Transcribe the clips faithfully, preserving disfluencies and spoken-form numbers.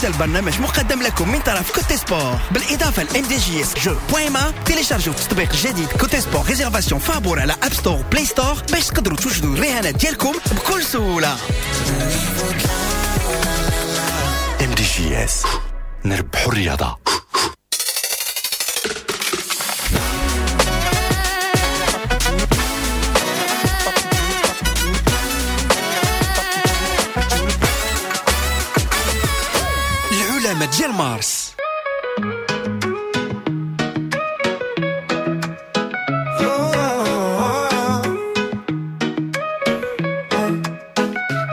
هذا البرنامج مقدم لكم من طرف Cote Sport بالاضافة ل MDJS jeux point ma. تيليشارجوا التطبيق الجديد Cote Sport réservation فابور على App Store Play Store باش تقدروا توجدوا الرهانات ديالكم بكل سهولة. MDJS نربحوا الرياضة. العلماء ديال مارس.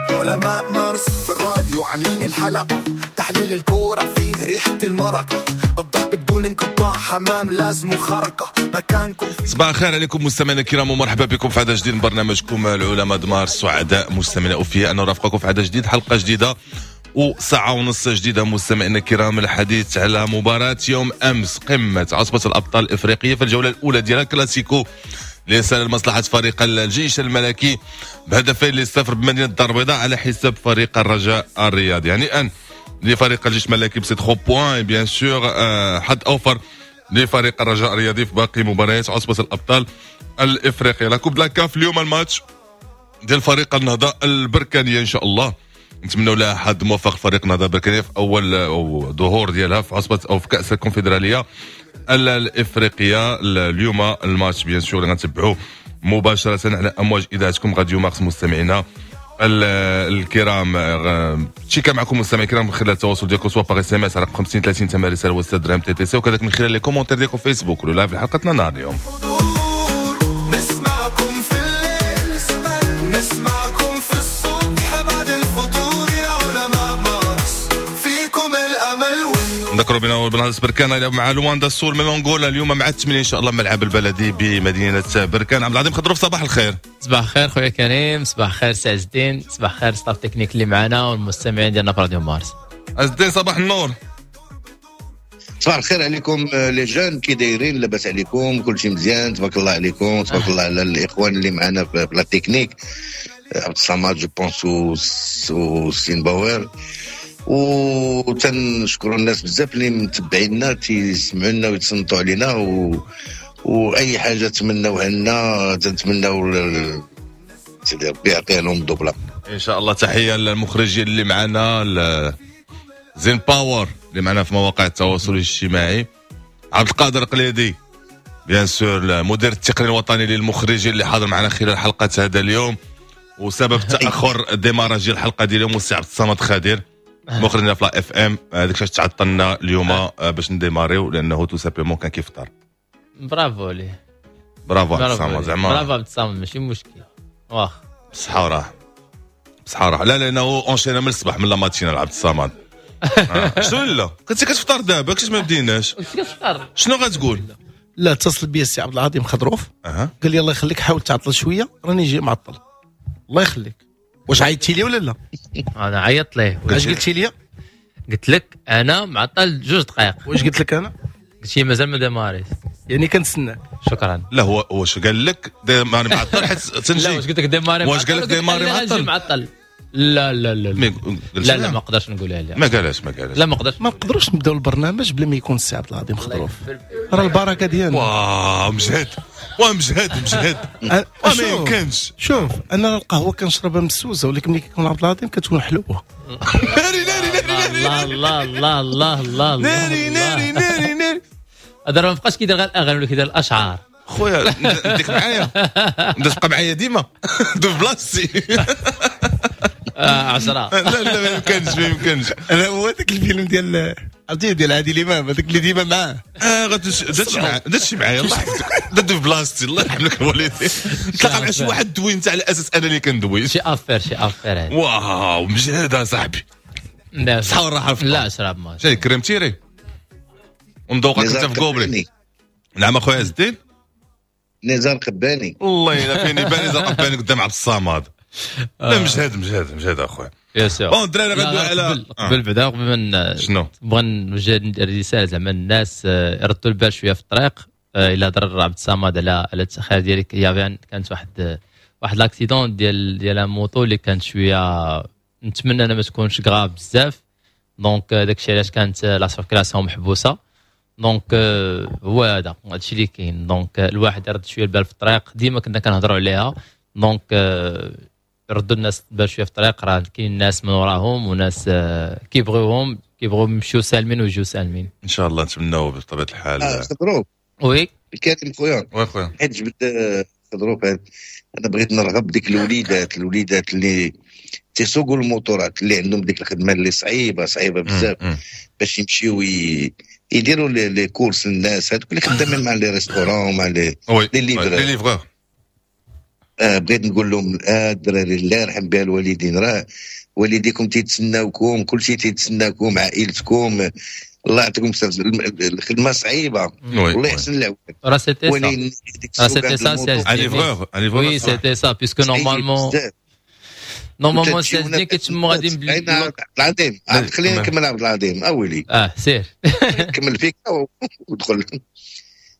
علماء مارس في الراديو عاملين الحلقة، تحليل الكورة فيه ريحة المرقة، الضرب بدون انقطاع، حمام لازم خرقة مكانكم. صباح الخير عليكم مستمعينا الكرام ومرحبا بكم في عدد جديد من برنامجكم العلماء د مارس. سعداء مستمعينا اوفياء ان نرافقكم في عدد جديد، حلقة جديدة وساعة ونص جديدة مستمعينا الكرام. الحديث على مباراة يوم أمس قمة عصبة الأبطال الإفريقية في الجولة الأولى ديالها كلاسيكو ليس لمصلحة فريق الجيش الملكي بهدفين للصفر بمدينة الدار البيضاء على حساب فريق الرجاء الرياضي. يعني أن لفريق الجيش الملكي ب ستة points bien sûr حد أوفر لفريق الرجاء الرياضي في باقي مباريات عصبة الأبطال الإفريقية. la Coupe de la CAF اليوم الماتش ديال فريق النهضة البركانية إن شاء الله نتمنوا لها حد موفق فريق النهضة البركانية في أول ظهور ديالها في عصبة أو في كأس الكونفدرالية الإفريقية. اليوم الماتش bien sûr اللي غنتبعوه مباشرة على أمواج إذاعتكم راديو مارس. مستمعينا الكرام تشيكا معكم مستمعينا الكرام من خلال التواصل ديالكم سواء par SMS على خمسين ثلاثين ثمن رسالة وستة درهم TTC، وكذلك من خلال les commentaires ديالكم في فيسبوك ولا live حلقتنا نهار اليوم. نسمعكم في الليل، نسمعكم في الصبح بعد الفطور يا علماء مارس، فيكم الأمل. نذكروا بنا بنهضة بركان يلعب مع لواندا السور من انغولا اليوم مع الثمانية ان شاء الله ملعب البلدي بمدينة بركان. عبد العظيم خضروف صباح الخير. صباح الخير خويا كريم، صباح الخير سي عز الدين، صباح الخير staff technique اللي معنا والمستمعين ديالنا في راديو مارس. عز الدين صباح النور. صباح الخير عليكم les jeunes، كي دايرين؟ لاباس عليكم؟ كلشي مزيان تبارك الله عليكم، تبارك الله على الاخوان اللي معنا في la technique، عبد الصمد je pense وسين باور، وتنشكروا الناس بزاف اللي متبعينا تيسمعوا لنا ويتصنتوا علينا و... واي حاجة تمناوها لنا تنتمناو ل... سيدي ربي يعطيها لهم الدبله ان شاء الله. تحية للمخرجين اللي معنا، زين باور اللي معنا في مواقع التواصل الاجتماعي، عبد القادر قليدي bien sûr المدير التقني الوطني للمخرجين اللي حاضر معنا خلال حلقة هذا اليوم، وسبب تاخر démarrage ديال الحلقة ديال اليوم والسي عبد الصمد خادر مخرجنا في la FM. هذاك الشيء تعطلنا اليوم باش نديماريو لانه tout simplement كان كيفطر. برافو ليه، برافو عبد الصمد، زعما برافو عبد الصمد ماشي مشكل، واخ بصحة وراحة بصحة وراحة. لا لانه enchaîna من الصباح من la matinale عبد الصمد. آه. شنو لا كنتي كتفطر دابا كيفاش ما بديناش؟ كنت كتفطر شنو غتقول؟ لا اتصل بيا السي عبد العظيم خضروف أه. قال لي الله يخليك حاول تعطل شوية راني جاي معطل. الله يخليك، واش عيطتي لي ولا لا؟ انا عيطت ليه. اش قلتي لي؟ قلت لك انا معطل جوج دقائق. واش قلت لك انا؟ قلت لي مازال ما démarré ش، يعني كنتسناك. شكرا. لا هو واش قال لك démarrer معطل حيت تنجي؟ لا واش قلت لك démarrer؟ واش قال لك démarrer معطل؟ معطل لا لا لا لا لا, لا ما نقدرش نقولها لها. ما قالهاش ما قالهاش. لا ما نقدرش، ما نقدروش نبداو البرنامج بلا ما يكون السي عبد العظيم خضروف، راه البركة ديالنا. واه مجهد واه مجهد مجهد ما يمكنش. شوف انا القهوة كنشربها مسوسه، ولكن ملي كيكون عبد العظيم كتكون حلوة. ناري ناري ناري الله الله الله الله الله ناري ناري ناري ناري. هذا ما بقاش كيدير غير الاغاني ولا كيدير الاشعار. خويا نديك معايا، انت تبقى معايا ديما دو بلاصتي. عشرة. لا لا ما يمكنش ما يمكنش. انا هو هذاك الفيلم ديال عرفتي ديال عادل امام، هذاك اللي ديما معاه. اه غادش معايا داتشي معايا الله يحفظك، دات في بلاصتي الله يرحم لك الوالدين. تلاقى مع شي واحد دوي انت على اساس انا اللي كندوي. شي affaire شي affaire. واو مجهد اصاحبي. صحة والراحة. لا شراب ما شاي crème tirée ومذوقك انت في gobelet. نعم اخويا عز الدين. نزار قباني. والله الا فين يبان نزار قباني قدام عبد الصمد. لا مجهد مجهد مجهد اخويا. bien sûr. bon الدراري غندوي على قبل بعدا قبل ما شنو بغا نوجه رسالة زعما الناس يردوا البال شوية في الطريق. الا هضر عبد الصمد على على التاخير ديالك، يا كانت واحد واحد l'accident ديال ديال moto اللي كانت شوية، نتمنى انا ما تكونش grave بزاف. donc داكشي علاش كانت la circulation محبوسة. donc هو هذا هادشي اللي كاين. donc الواحد يرد شوية البال في الطريق، ديما كنا كنهضروا عليها. donc ردوا الناس البال شوية في الطريق، راه كاين ناس من وراهم وناس كيبغيوهم، كيبغيو يمشيو سالمين ويجيو سالمين ان شاء الله. نتمناو بطبيعة الحال. آه خضروف oui الكريم خويا. oui خويا، حيت جبت خضروف، انا بغيت نرغب ديك الوليدات الوليدات اللي تيسوقوا الموتورات، اللي عندهم ديك الخدمة اللي صعيبة صعيبة بزاف، باش يمشيو يديروا les courses للناس هذوك اللي خدامين مع les restaurants مع les les livreurs les livreurs. آه بغيت نقول لهم آه الدراري الله يرحم بها الوالدين، راه والديكم تيتسناوكم، كلشي تيتسناكم، عائلتكم، الله يعطيكم الخدمة صعيبة والله يحسن العون. راه c'était ça، راه c'était ça un livreur un livreur. oui c'était ça puisque normalement normalement سيدني كيتمو غادي عبد العظيم. خلينا نكمل عبد العظيم اولي. اه سير كمل فيك ودخل.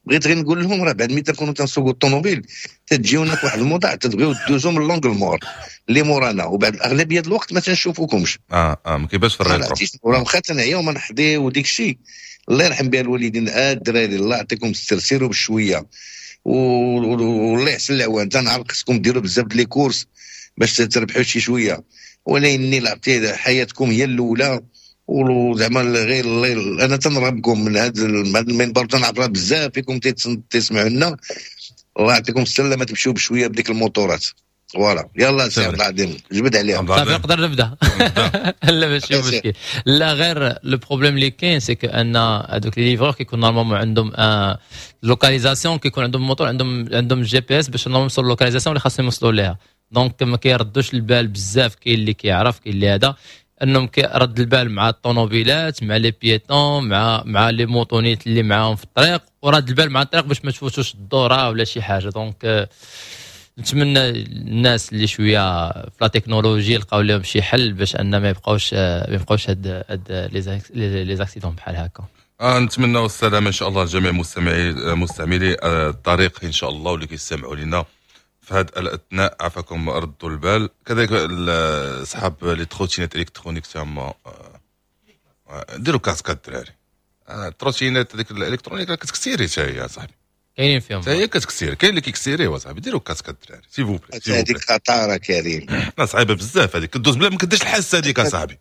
بغيت غير نقول لهم راه بعد ملي تكونوا تنسوقوا الطوموبيل تجيونا في واحد الموضع تبغيو دوزو من l'angle mort اللي مورانا، وبعد الاغلبية الوقت ما تنشوفوكمش. اه اه ما كيبانش في ال rétro. راه واخا تنعيا وما نحضي وديك الشيء. الله يرحم بها الوالدين. آه الدراري الله يعطيكم الستر، سيروا بشوية والله يحسن العوان. تنعرف خصكم ديروا بزاف les courses باش تربحوا شي شوية، ولكن لعبتي حياتكم هي الاولى. وزعما غير انا تنرغبكم من هذا المنبر، تنعرف بزاف فيكم تسمعوا لنا. الله يعطيكم السلامة، تمشيو بشوية بديك الموتورات. voilà يلا سي عبد العظيم جبد عليها. صافي نقدر نبدا. لا ماشي مشكل. لا غير le problème اللي كاين c'est que ان هذوك les livreurs كيكون normalement عندهم localisation، كيكون عندهم موتور، عندهم عندهم GPS باش انهم يوصلوا localisation اللي خاصهم يوصلوا ليها. donc ما كيردوش البال بزاف. كاين اللي كيعرف، كاين اللي هذا انهم كيرد البال مع الطوموبيلات، مع les piétons، مع مع les motonettes اللي معاهم في الطريق، ورد البال مع الطريق باش ما تفوتوش الدورة ولا شي حاجة. donc نتمنى الناس اللي شوية في la technologie يلقاو لهم شي حل باش ان ما يبقاوش ما يبقاوش هاد هاد les accidents بحال هكا. آه نتمنى السلامة ان شاء الله لجميع مستمعي مستعملي الطريق ان شاء الله، واللي كيستمعوا لنا في هذا الاثناء. عافاكم ردوا البال. كذلك اصحاب les trottinettes électroniques تما ديروا casque الدراري. ال trottinette هذيك ال électronique كتكسيري حتى هي صاحبي، كاينين فيهم حتى هي كتكسير، كاين اللي كيكسيري هو صاحبي. ديروا casque الدراري s'il vous plaît. هذيك خطاره كريم، لا صعيبة بزاف هذيك، كدوز بلا ما كديرش الحس هذيك اصاحبي.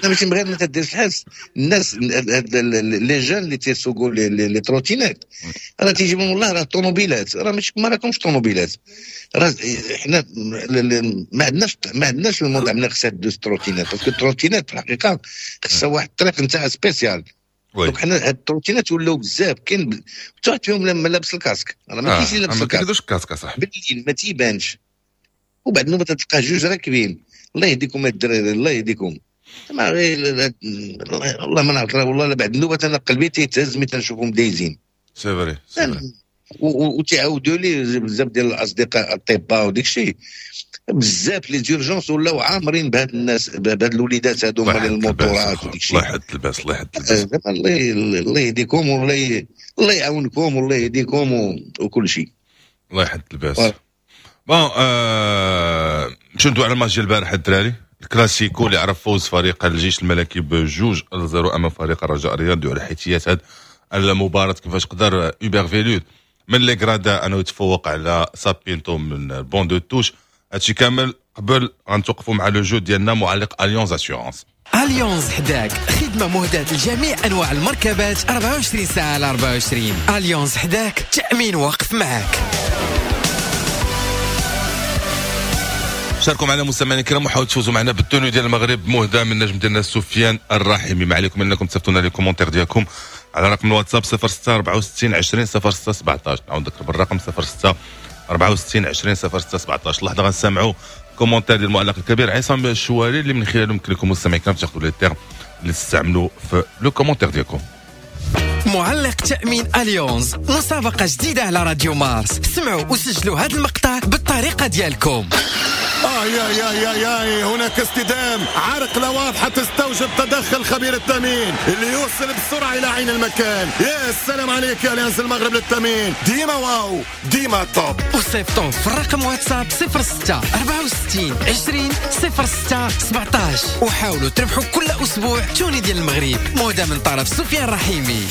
لا ماشي بغير ما تديرش الحس. الناس les jeunes اللي تيسوقوا les trottinettes راه تيجيبهم والله راه الطوموبيلات، راه ماشي ما راكمش طوموبيلات. راه حنا ما عندناش ما عندناش الموضوع من خصها دوز trottinette، parce que ال trottinette في الحقيقة خصها واحد الطريق نتاع spéciale. donc حنا هاد ال trottinettes ولاو بزاف، كاين حتى واحد فيهم لما لابس ال casque، راه ما كاينش اللي لابس ال casque، ما كيديروش ال casque صاحبي بالليل ما تيبانش. وبعد النوبة تلقى جوج راكبين. الله يهديكم الدراري، الله يهديكم. ما غير والله ما نعرف والله. بعد النوبة انا قلبي تيتهز ملي تنشوفهم دايزين. c'est vrai c'est vrai. وتعاودوا لي بزاف ديال الاصدقاء الاطباء وديك الشيء بزاف les urgences ولاو عامرين بهاد الناس، بهاد الوليدات هادو مال الموتورات وديك الشيء. الله يحد الباس، الله يحد الباس. الله الله يهديكم والله الله يعاونكم والله يهديكم وكل شيء. الله يحد الباس. bon آه... نمشيو ندوي على الماتش ديال البارح الدراري، الكلاسيكو اللي عرف فوز فريق الجيش الملكي بجوج لزيرو امام فريق الرجاء الرياضي. على حيثيات هذه المباراة كيفاش قدر هوبر فيلود من les gradins انه يتفوق على سابينتو من banc de touche. هادشي كامل قبل غنتوقفوا مع le jeu ديالنا معلق Allianz Assurances. Allianz حداك، خدمة مهداة لجميع انواع المركبات أربعة وعشرين ساعة على أربعة وعشرين. Allianz حداك، تامين واقف معاك. شاركوا معنا مستمعينا الكرام وحاولوا تفوزوا معنا بال tenue ديال المغرب مهدى من نجم ديالنا سفيان الرحيمي. ما عليكم انكم تصيفطوا لنا les commentaires ديالكم على رقم الواتساب صفر ستة أربعة وستين عشرين صفر ستة سبعطاش. نعاود نذكر بالرقم صفر ستة أربعة وستين عشرين صفر ستة سبعطاش. لحظة غنسمعوا commentaire ديال المعلق الكبير عصام الشواري اللي من خلاله يمكن لكم مستمعين الكرام تاخذوا les termes اللي تستعملوا في le commentaire ديالكم. معلق تأمين Allianz، مسابقة جديدة على راديو مارس. سمعوا وسجلوا هذا المقطع بالطريقة ديالكم. آه يا يا يا يا هناك اصطدام، عرقلة واضحة تستوجب تدخل خبير التأمين اللي يوصل بسرعة إلى عين المكان. يا سلام عليك يا أليانز المغرب للتأمين، ديما واو ديما top. وصيفطوا في الرقم واتساب صفر ستة أربعة وستين عشرين صفر ستة سبعطاش وحاولوا تربحوا كل أسبوع tenue ديال المغرب مهدى من طرف سفيان رحيمي.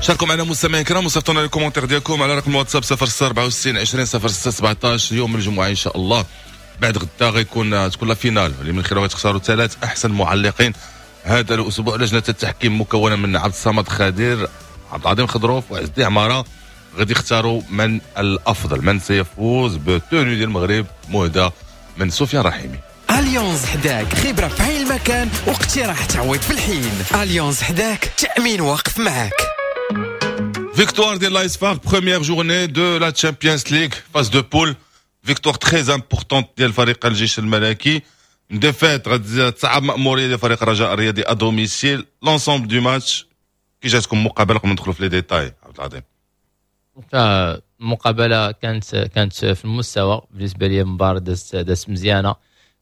شاركوا معنا مستمعين الكرام وصيفطونا les commentaires ديالكم على رقم الواتساب صفر ستة أربعة وستين عشرين صفر ستة سبعطاش. يوم الجمعة ان شاء الله بعد غدا غيكون تكون la finale اللي من خلالها غتختاروا ثلاث احسن معلقين هذا الاسبوع. لجنة التحكيم مكونة من عبد الصمد خادر، عبد العظيم خضروف، وعز الدين عمارة، غادي يختاروا من الافضل، من سيفوز ب tenue ديال المغرب مهدى من سفيان رحيمي. أليانز حداك، خبرة في عين المكان واقتراح تعويض في الحين. أليانز حداك، تأمين واقف معك. Victoire de l'A S F A R, première journée de la Champions League, phase de poule. Victoire très importante ديال فريق الجيش الملكي. Défaite غادي تصعب مأمورية ديال فريق الرجاء الرياضي à domicile. L'ensemble du match كي جاتكم مقابلة قبل ما ندخلوا في les détails عبد العظيم؟ المقابلة كانت كانت في المستوى بالنسبة لي، مباراة دازت دازت مزيانة.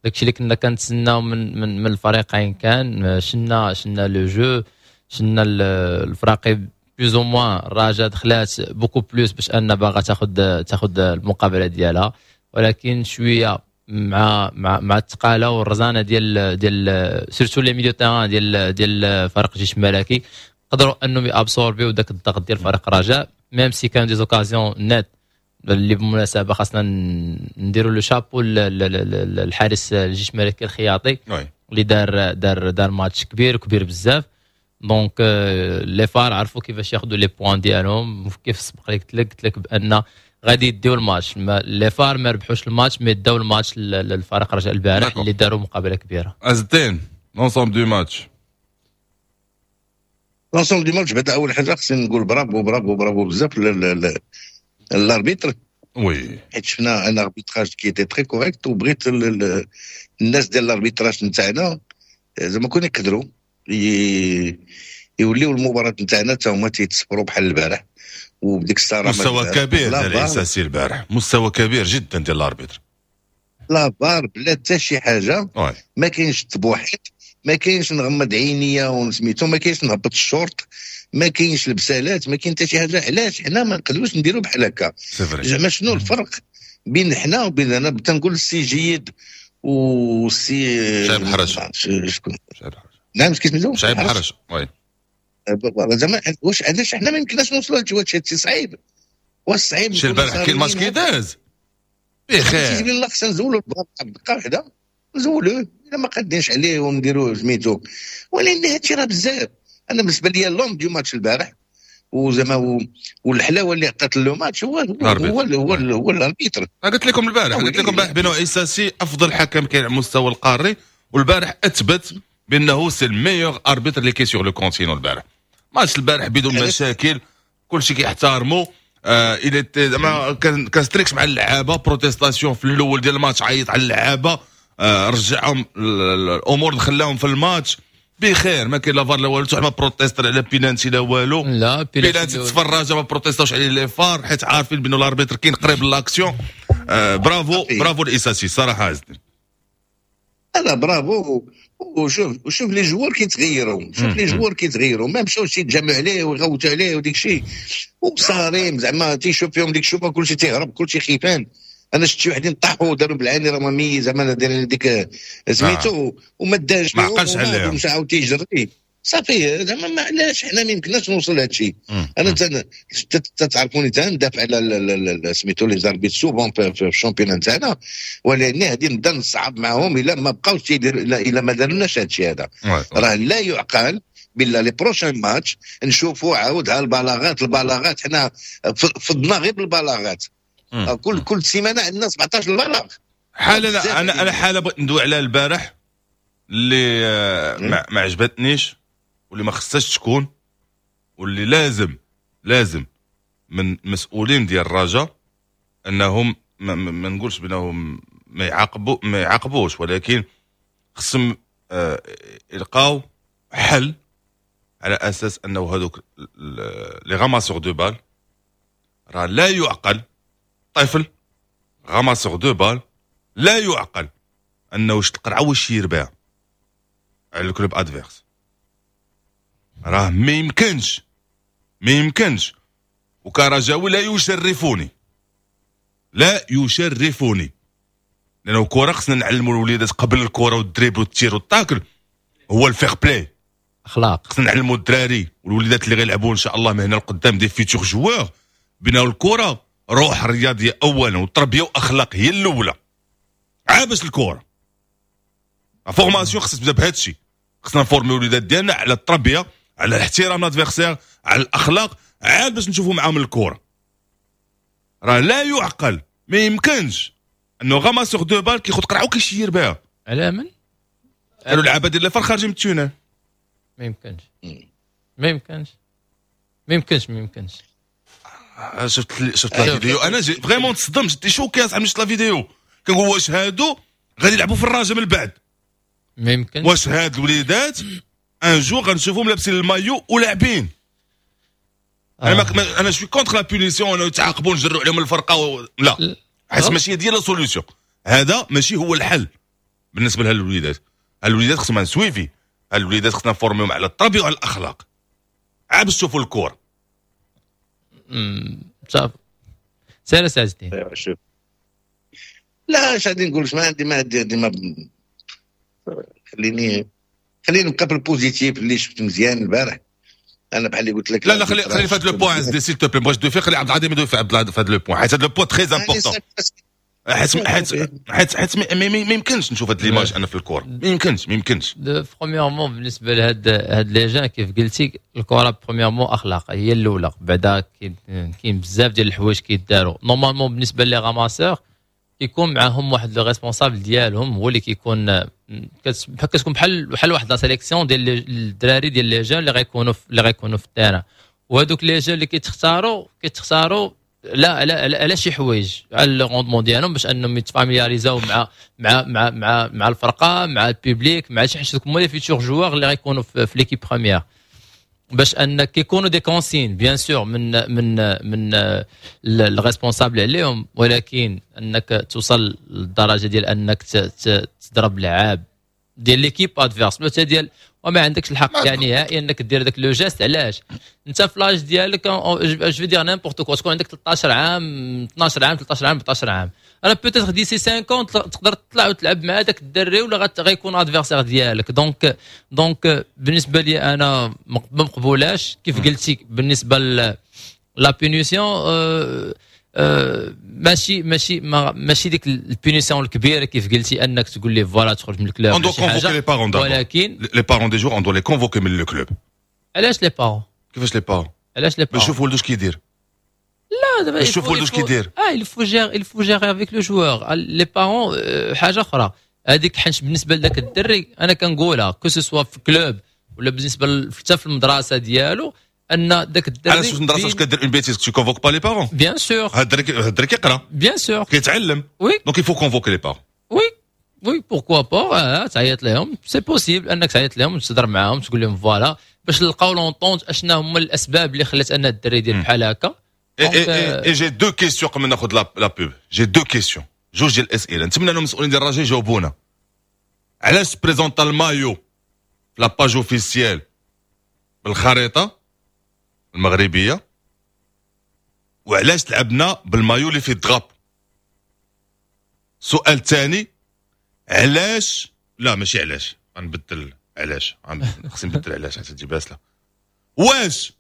داكشي اللي كنا كنتسناو من من من الفريقين كان شنا شنا le jeu، شنا الفراقي plus ou moins. الرجاء دخلات beaucoup plus باش ان باغا تاخذ تاخذ المقابلة ديالها، ولكن شوية مع مع مع الثقاله والرزانه ديال ديال surtout les milieux terrain ديال ديال فريق الجيش الملكي قدروا انهم ي absorber يو داك الضغط ديال فريق الرجاء، même si كانوا des occasions nettes اللي بالمناسبة خاصنا نديروا le chapeau الحارس الجيش الملكي الخياطي اللي دار دار دار ماتش كبير كبير بزاف. donc les FAR عرفوا كيفاش ياخذوا les points ديالهم، كيف سبق لك قلت لك قلت لك بان غادي يديو الماتش. les FAR ما ربحوش الماتش mais داو الماتش للفريق رجاء البارح اللي داروا مقابله كبيرة. عز الدين l'ensemble du match. l'ensemble du match بعدا اول حاجة خصني نقول bravo bravo bravo بزاف l'arbitre. oui حيت شفنا un arbitrage qui était très correct، وبغيت الناس ديال l'arbitrage نتاعنا زعما كون يقدروا يوليو المباراة نتاعنا حتى هما تيتصبروا بحال البارح وبديك الصراحة. مستوى كبير ديال الاساسي البارح، مستوى كبير جدا ديال l'arbitre. la VAR بلا حتى شي حاجة، ما كاينش التبوحيط، ما كاينش نغمض عينيا ونسميتو، ما كاينش نهبط الشورت، ما كاينش البسالات، ما كاين حتى شي حاجة. علاش حنا ما نقدروش نديرو بحال هكا؟ زعما شنو الفرق بين حنا وبين انا تنقول السي جيد والسي شعيب حرش. شكون؟ نعم كيسميتو؟ شعيب حرش. oui زعما واش علاش حنا ما يمكنناش نوصلوا لهادشي؟ هادشي صعيب، واش صعيب؟ شي البارح كاين الماتش كي داز بخير، تيجي الله خصنا نزولوا دقه واحدة، نزولوه الا ما قادينش عليه ونديروه سميتو. ولكن هادشي راه بزاف. انا بالنسبة لي l'homme du match البارح وزعما والحلاوه اللي عطات le match هو هو هو هو l'arbitre. قلت لكم البارح، قلت لكم البارح بانه عيساسي افضل حكم كاين على المستوى القاري، والبارح اثبت بانه c'est ال meilleur arbitre اللي كاين sur le continent. البارح ماتش البارح بدون مشاكل، كلشي كيحترمو. آه الى زعما كان كان strict مع اللعابه، protestation في الاول ديال الماتش عيط على اللعابه، آه رجعهم الامور، خلاهم في الماتش بخير، ما كاين لا فار لا والو، حتى ما protester على بينانتي لا والو. لا بينانتي تفرج ما protest اوش عليه les FAR حيت عارفين بانه l'arbitre كاين قريب l'action. آه bravo bravo الاساسي صراحة عز الدين. لا برافو. وشوف وشوف les joueurs كيتغيروا، شوف les joueurs كيتغيروا، ما مشاوش يتجمعوا عليه ويغوتوا عليه وديك الشيء وصارم زعما تيشوف فيهم ديك الشوفه كلشي تيهرب كلشي خيفان. انا شفت شي وحدين طاحوا داروا بالعاني راه مامي زعما دايرين ديك سميتو وما داش ما عقلش عليهم ومشى عاود تيجري صافي. زعما ما علاش حنا ما يمكنناش نوصل لهذا الشيء. انا تتعرفوني تندافع على سميتو les arbitres souvent في ال championnat نتاعنا، ولكن هذه نبدا نصعب معاهم الا ما بقاوش الا ما دارناش هذا الشيء هذا. راه لا يعقل بالله les prochains matchs نشوفوا عاود على البلاغات البلاغات حنا فضنا غير بالبلاغات. كل كل سيمانه عندنا سبعطاش بلاغ. حاله انا انا حاله بغيت ندوي عليها البارح اللي ما, ما عجبتنيش واللي ما خصهاش تكون واللي لازم لازم من مسؤولين ديال الرجاء انهم ما, ما نقولش بانهم ما يعاقبوا ما يعاقبوش، ولكن خصهم آه يلقاو حل على اساس انه هذوك les ramasseurs de balles راه لا يعقل طفل ramasseur de balles لا يعقل انه واش القرعة واش يربح على ال club adverse. راه ما يمكنش، ما يمكنش. وكرجاوي لا يشرفوني، لا يشرفوني، لانه الكره خصنا نعلموا الوليدات قبل الكره وال dribble وال tir وال tacle هو ال fair-play، اخلاق. خصنا نعلموا الدراري والوليدات اللي غيلعبوا ان شاء الله من هنا لقدام des futurs joueurs بنا الكره روح رياضية اولا والتربية واخلاق هي الاولى عاد باش الكره. formation خصها تبدا بهذا الشيء، خصنا نفورميو الوليدات ديالنا على التربية، على الاحترام l'adversaire، على الاخلاق، عاد باش نشوفوا معاهم الكره. راه لا يعقل، ما يمكنش انه ramasseur de balles كياخذ قرعه وكيشير بها. على من؟ قالوا اللعابه ديال les FAR خارجين من ال tunnel. ما يمكنش، ما يمكنش، ما يمكنش، ما يمكنش. شفت شفت la vidéo انا vraiment تصدمت، j'étais choqué اصاحبي. شفت la vidéo كنقول واش هادو غادي يلعبوا في الرجاء من بعد؟ ما يمكنش. واش هاد الوليدات un jour غنشوفهم لابسين المايو ولاعبين؟ آه. انا ما انا je suis contre la punition، انا يتعاقبوا نجروا عليهم الفرقة و... لا، حيت ماشي هي la solution، هذا ماشي هو الحل بالنسبة لهاد الوليدات. هاد الوليدات خصهم suivi، هاد الوليدات خصنا نفورميهم على التربية وعلى الاخلاق عاد باش تشوفوا الكره. صافي سير سي الدين. شوف لا اش غادي نقول، ما عندي ما عندي ما خليني خليني نبقى في ال positif اللي شفت مزيان البارح. انا بحال اللي قلت لك لا لا خلي خلي في هذا le point s'il te plaît، بغيت دوفي، خلي عبد العظيم يدوي في هذا le point، حيت هذا le point très important، حيت حيت حيت حيت ما يمكنش نشوف هاد l'image انا في الكره، ما يمكنش، ما يمكنش. premièrement بالنسبة لهاد هاد les jeunes كيف قلتي الكره premièrement اخلاق هي الاولى، بعدا كاين بزاف ديال الحوايج كيداروا normalement. بالنسبة les ramasseurs كيكون معاهم واحد le responsable ديالهم هو اللي كيكون كتكون بحال بحال واحد la sélection ديال الدراري ديال les jeunes اللي غيكونوا اللي غيكونوا في ال terrain، وهذوك les jeunes اللي كيتختاروا كيتختاروا لا لا على شي حوايج، على le rendement ديالهم باش انهم يتفاميلياريزاو مع مع مع مع مع الفرقة، مع ال public، مع شي حاجة، هما les futurs joueurs اللي غيكونوا في, في l'équipe première، باش ان كيكونوا des consignes bien sûr من من من ال responsable عليهم. ولكن انك توصل للدرجة ديال انك تضرب لعاب ديال l'équipe adverse ولا ديال وما عندكش الحق يعني نهائيا انك دير داك le geste. علاش انت في l'âge ديالك je veux dire n'importe quoi تكون عندك ثلاثة عشر عام، اثنا عشر عام، ثلاثة عشر عام، أربعة عشر عام، راه peut-être d'ici cinq ans تقدر تطلع وتلعب مع داك الدري ولا غيكون adversaire ديالك. donc donc بالنسبة لي انا ما مقبولاش. كيف قلتي بالنسبة la punition أه أه ماشي ماشي ماشي ديك ال punition الكبيرة كيف قلتي انك تقول لي voilà تخرج من ال club. on doit convoquer les parents. ولكن les parents des joueurs on doit les convoquer من le club. علاش les parents؟ كيفاش les parents؟ علاش les parents؟ باش يشوف ولدو اش كيدير. لا دابا باش يشوف ولدو اش كيدير. اه il faut gérer il faut gérer avec le joueur، les parents حاجة اخرى هذيك. حيت بالنسبة لذاك الدري انا كنقولها que ce soit في club ولا بالنسبة حتى في المدرسة ديالو ان ذاك الدري علاش في المدرسة واش كدير une bêtise tu convoques pas les parents؟ bien sûr. هاد الدري هاد الدري كيقرا. bien sûr. كيتعلم. oui. donc il faut convoquer les parents. oui oui pourquoi pas تعيط لهم، c'est possible انك تعيط لهم وتهضر معاهم تقول لهم voilà باش نلقاو l'entente اشنا هما الاسباب اللي خلات ان الدري يدير بحال هكا. et j'ai deux questions قبل ما ناخذ la pub، j'ai deux questions، جوج ديال الاسئلة نتمنى ان المسؤولين ديال الرجاء يجاوبونا. علاش présenta المايو في la page officielle بالخريطة المغربية وعلاش لعبنا بالمايو اللي فيه ال drapeau؟ سؤال ثاني، علاش لا ماشي علاش، غنبدل علاش، خصني نبدل علاش حتى تجي باسله. واش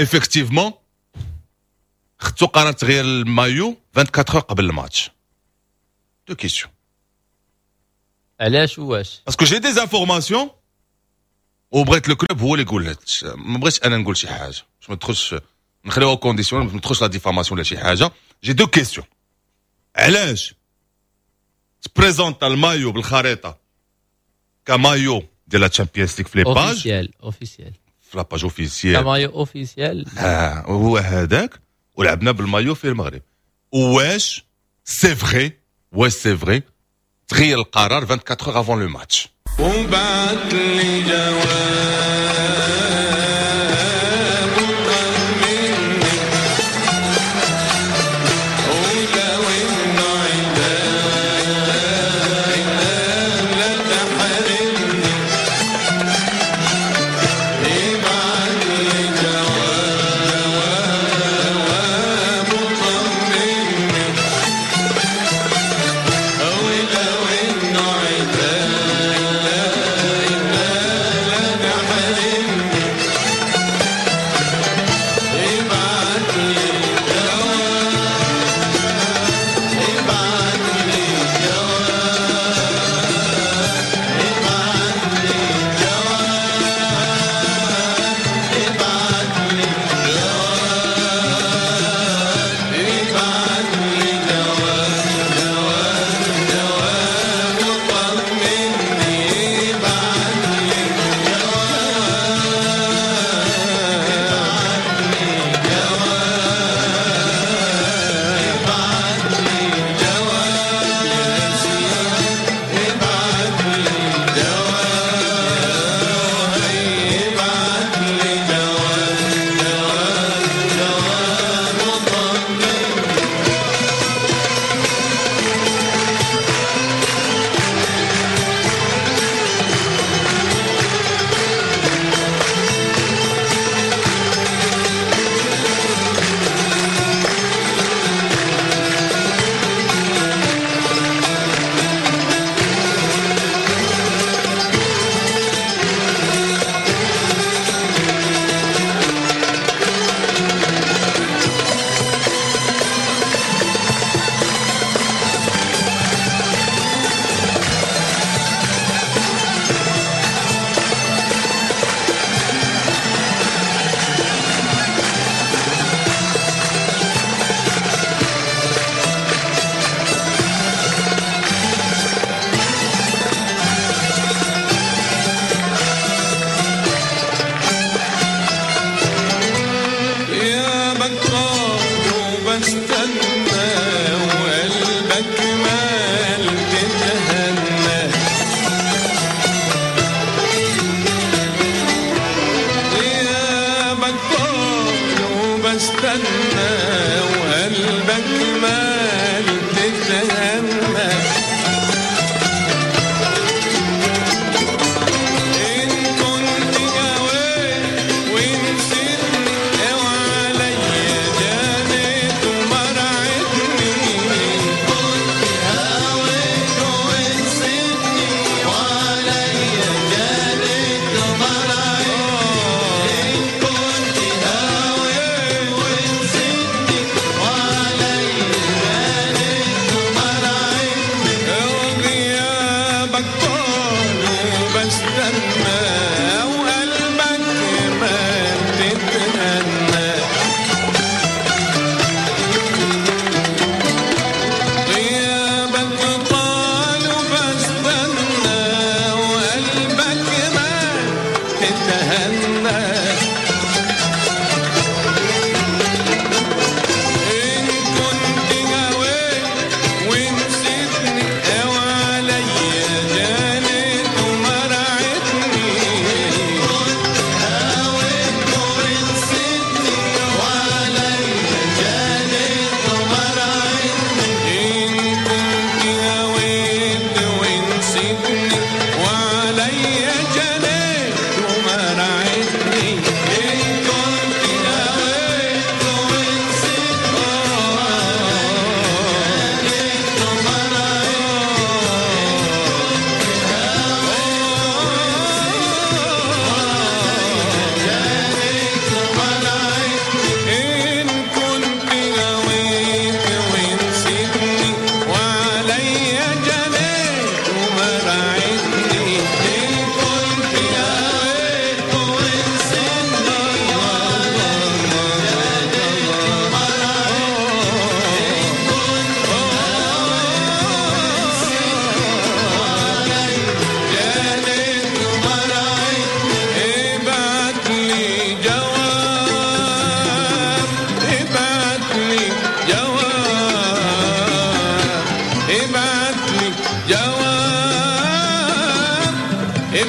effectivement خدتو قرار تغيير المايو أربعة وعشرين heures قبل الماتش؟ deux questions. علاش واش؟ parce que j'ai des informations وبغيت le club هو اللي يقول، ما بغيتش انا نقول شي حاجة باش ما تدخلش نخليوها condition ما تدخلش la diffamation ولا شي حاجة. j'ai deux questions، علاش تبريزونتا المايو بالخريطة كمايو ديال la Champions League في les pages officielles officielles؟ في la page officielle ك maillot officiel. اه هو هذاك، ولعبنا بالمايو في المغرب. واش c'est vrai واش c'est vrai تغير القرار أربعة وعشرين heures avant le match؟ وبعت لي جواب وطمني ولو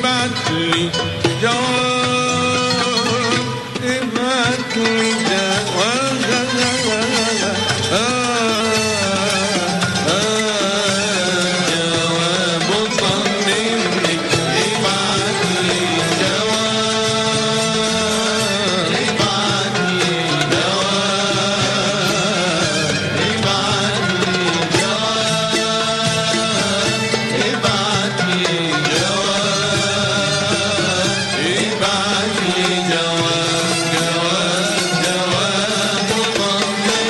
ابعت لي جواب، ابعت لي جواب، جواب طمني، ابعت لي جواب، ابعت لي جواب، ابعت لي جواب، ابعت لي جواب، ابعت لي جواب، جواب جواب طمني.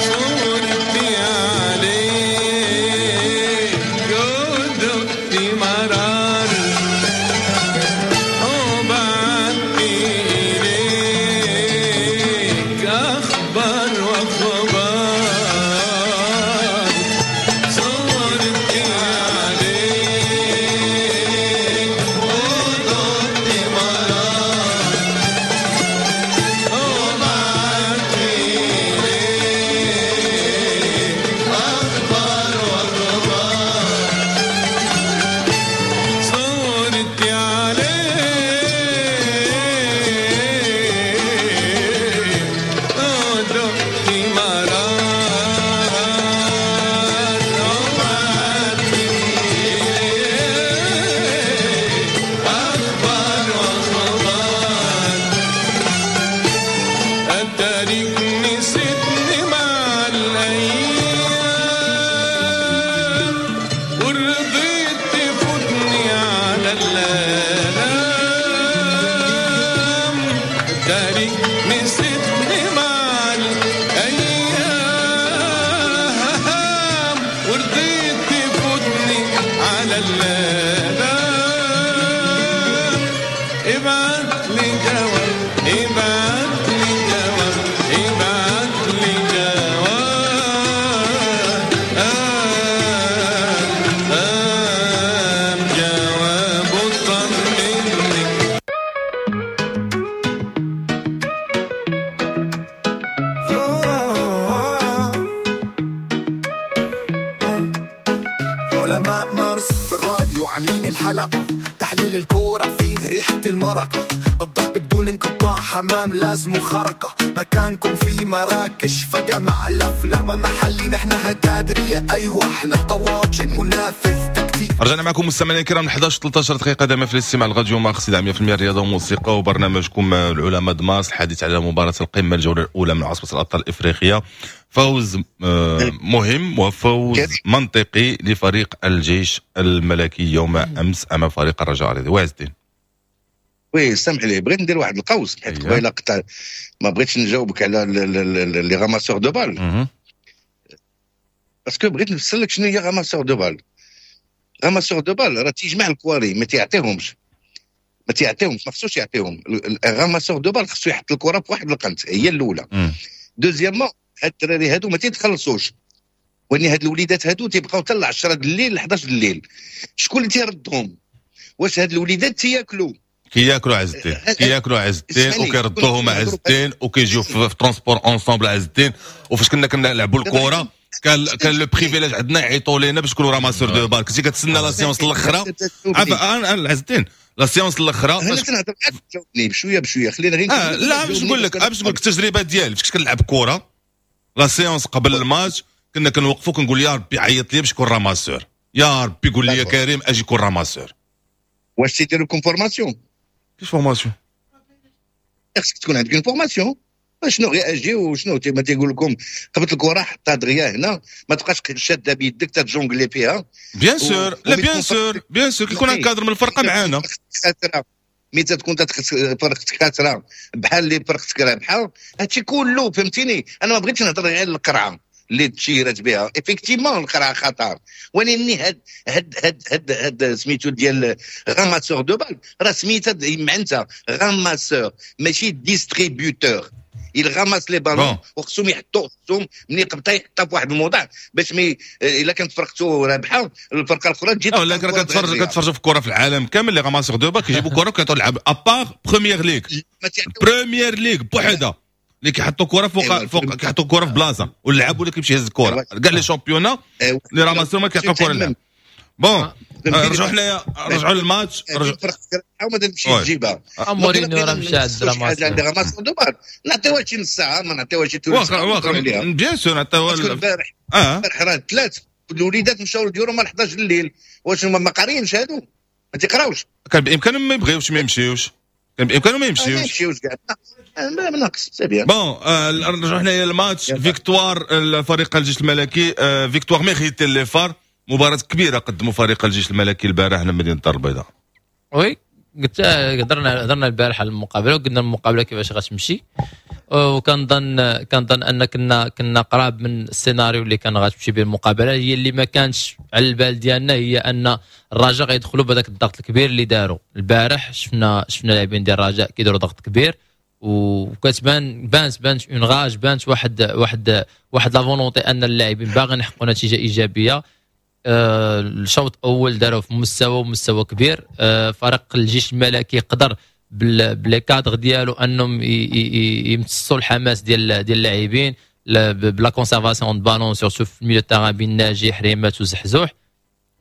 صورتي عليك جدتي مرار، وبعت إليك أخبار وأخبار، صورتي عليك وجدتي مرار، وبعت إليك أخبار وأخبار، صورتي عليك ودقتي مرار، وبعت إليك أخبار وأخبار، أتاريك نسيتني مع الأيام، ورضيت تفوتني على الآلام، أتاريك نسيتني مع الأيام، ورضيت تفوتني على الآلام، ابعت لي جواب، ابعت لي جواب، ابعت لي جواب، آه جواب طمني. علماء مارس في الراديو عاملين الحلقة، تحليل الكورة فيه ريحة المرقة، الضرب بدون انقطاع، حمام لازم خرقة، مكانكم في مراكش فجأة مع الأفلام محلي، نحن هتادرية أيوة احنا طواجن منافذ تكتيك. رجعنا معكم مستمعينا الكرام احد عشر ثلاثة عشر دقيقة دائما في الاستماع لراديو مارس مية بالمية الرياضة وموسيقى وبرنامجكم العلماء دمارس، الحديث على مباراة القمة الجولة الأولى من عصبة الأبطال الإفريقية. فوز مهم وفوز منطقي لفريق الجيش الملكي يوم أمس أمام فريق الرجاء الرياضي. وعز الدين oui سامح لي بغيت ندير واحد القوس حيت قبيلة قطع ما بغيتش نجاوبك على les ramasseurs de balles parce que بغيت نفسر لك شنو هي ramasseur de balles. ramasseur de balles راه تيجمع الكواري ما تيعطيهمش ما تيعطيهمش ما خصوش يعطيهم. ال ramasseur de balles خصو يحط الكره في واحد القنت هي الاولى. deuxièmement هاد الدراري هادو ما تيتخلصوش، وان هاد الوليدات هادو تيبقاو حتى عشرة د الليل احد عشر د الليل. شكون اللي تيردهم؟ واش هاد الوليدات تياكلوا؟ كياكلوا عز الدين، كياكلوا عز الدين وكيردوهم عز الدين وكيجيو في transport ensemble عز الدين. وفاش كنا كنلعبوا الكره كان كان le privilège عندنا يعيطوا لينا باش نكونوا ramasseurs de balles. كنتي كتسنى la séance الاخرى عارف عز الدين la séance الاخرى. انا كنهضر معاك جاوبني بشوية بشوية خلينا غير آه لا باش نقول لك باش نقول لك التجربة ديالي فاش كنت كنلعب كره la séance قبل الماتش كنا كنوقفوا كنقول يا ربي عيط لي باش نكون ramasseur، يا ربي قول لي يا كريم اجي كون ramasseur. واش تيديروا لكم formation؟ كيفاش formation؟ خصك تكون عندك une formation. شنو غير اجي وشنو ما تيقول لكم قبط الكره حطها دغيا هنا، ما تبقاش شاده بيدك ت jongler فيها. bien sûr، لا bien sûr bien sûr كيكون un cadre من الفرقة معانا. ملي تكون فرقتك خاسرة بحال اللي فرقتك رابحه، هادشي كله فهمتيني. انا ما بغيتش نهضر غير على القرعة اللي تشيرت بها، effectivement القرعة خطر، ولكن هاد هاد هاد هاد هاد سميتو ديال ramasseur de balles راه سميتها معناتها ramasseur ماشي distributeur. il ramasse les ballons وخصهم يحطوا، خصهم ملي قبطها يحطها في واحد الموضع باش mais الا كانت فرقته رابحه الفرقة الاخرى تجي. لا كتفرج كتفرج في الكره في العالم كامل les ramasseurs de balles كيجيبوا كره وكيعطوا لعب، à part Premier League، Premier League بوحدها اللي كيحطوا كره فوق فوق، كيحطوا كره في بلاصة واللعاب ولا كيمشي يهز الكره. كاع les championnats les ramasseurs ما كيعطوا كره للعب. bon رجعوا حنايا، رجعوا للماتش. رجعوا ما تمشي تجيبها. مورينيو راه مشى عند ramasseur de balles، نعطيوها شي نص ساعه، ما نعطيوها شي واخا واخا bien sûr نعطيوها. البارح البارح راه ثلاث الوليدات مشاو لديورهم على حداش الليل، واش هما ما قاريينش هادو؟ ما تيقراوش؟ كان بامكانهم ما يبغيوش ما يمشيوش، كان بامكانهم ما يمشيوش. ما يمشيوش كاع ناقص c'est bien. bon نرجعوا حنايا لل match. victoire الفريق الجيش الملكي، victoire méritée les FAR. مباراة كبيرة قدموا فريق الجيش الملكي البارح لمدينة الدار البيضاء. oui قلت هضرنا هضرنا البارح على المقابلة وقلنا المقابلة كيفاش غتمشي، وكنظن كنظن ان كنا كنا قراب من السيناريو اللي كان غتمشي به المقابله. هي اللي ما كانش على البال ديالنا هي ان الرجاء غيدخلوا بهذاك الضغط الكبير اللي داروا البارح. شفنا شفنا لاعبين ديال الرجاء كيديروا ضغط كبير وكتبان بانت بانت une rage، بانت واحد واحد واحد la volonté ان اللاعبين باغيين يحققوا نتيجة ايجابية. آه، الشوط الاول داروا في مستوى مستوى كبير. آه، فريق الجيش الملكي قدر ب les cadres ديالو انهم يمتصوا الحماس ديال ديال اللاعبين ب la conservation de ballon surtout في ال milieu terrain بين ناجي حريمات وزحزوح.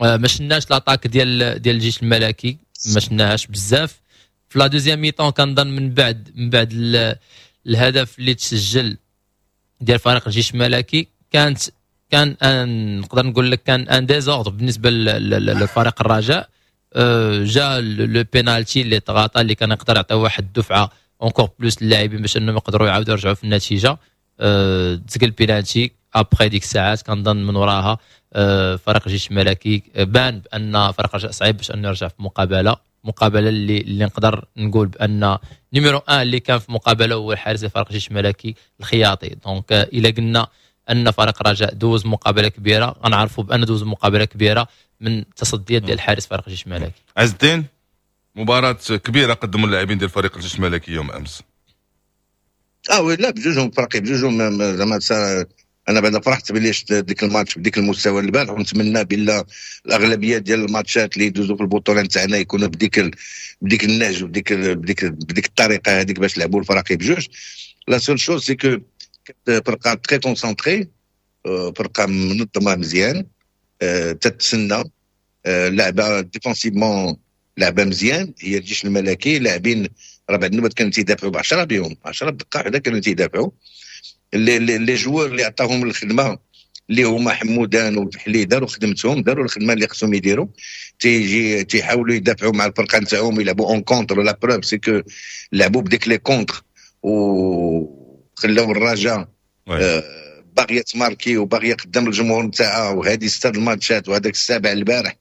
آه، ما شفناش l'attaque ديال ديال الجيش الملكي، ما شفناهاش بزاف في la deuxième mi-temps. كنظن من بعد من بعد الهدف اللي تسجل ديال فريق الجيش الملكي كانت كان un نقدر نقول لك كان un désordre بالنسبة للفريق الرجاء. أه، جا le penalty اللي تغاطى اللي كان يقدر يعطي واحد الدفعة encore plus للاعبين باش انهم يقدروا يعاودوا يرجعوا في النتيجه. أه، تسجل penalty، après ديك الساعات كنظن من وراها أه، فريق الجيش الملكي بان بان فريق الرجاء صعيب باش انه يرجع في مقابله مقابله اللي اللي نقدر نقول بان numéro واحد اللي كان في مقابله هو الحارس فريق الجيش الملكي الخياطي. donc الا قلنا ان فريق الرجاء دوز مقابله كبيرة غنعرفوا بان دوز مقابله كبيرة من تصديات ديال الحارس فريق الجيش الملكي. عز الدين، مباراة كبيرة قدموا اللاعبين ديال فريق الجيش الملكي يوم امس. اه oui لا بجوجهم فريقين بجوجهم زعما انا بعدا فرحت بلي شفت ديك الماتش بديك المستوى البارح، ونتمنى بالله الاغلبية ديال الماتشات اللي يدوزوا في البطولة نتاعنا يكونوا بديك ال... بديك النهج وبديك بديك بديك الطريقة هذيك باش لعبوا الفراقي بجوج. la seule chose c'est que فرقه très concentrée، فرقه منظمة مزيان، آه، تتسنى، آه، لعبه défensivement لعبه مزيان. هي الجيش الملكي لاعبين راه بعد النوبات كانوا تيدافعوا ب عشرة بهم، عشرة بدقة واحدة كانوا تيدافعوا. les les les joueurs اللي عطاهم الخدمة اللي هما حمودان والفحلي داروا خدمتهم، داروا الخدمة اللي خصهم يديروا. تيجي تيحاولوا يدافعوا مع الفرقة نتاعهم، يلعبوا en contre. la preuve c'est que لعبوا بديك les contres وخلاو الرجاء آه باغية تماركي وباغيه قدام الجمهور نتاعها. وهذه ستة الماتشات وهذاك السابع البارح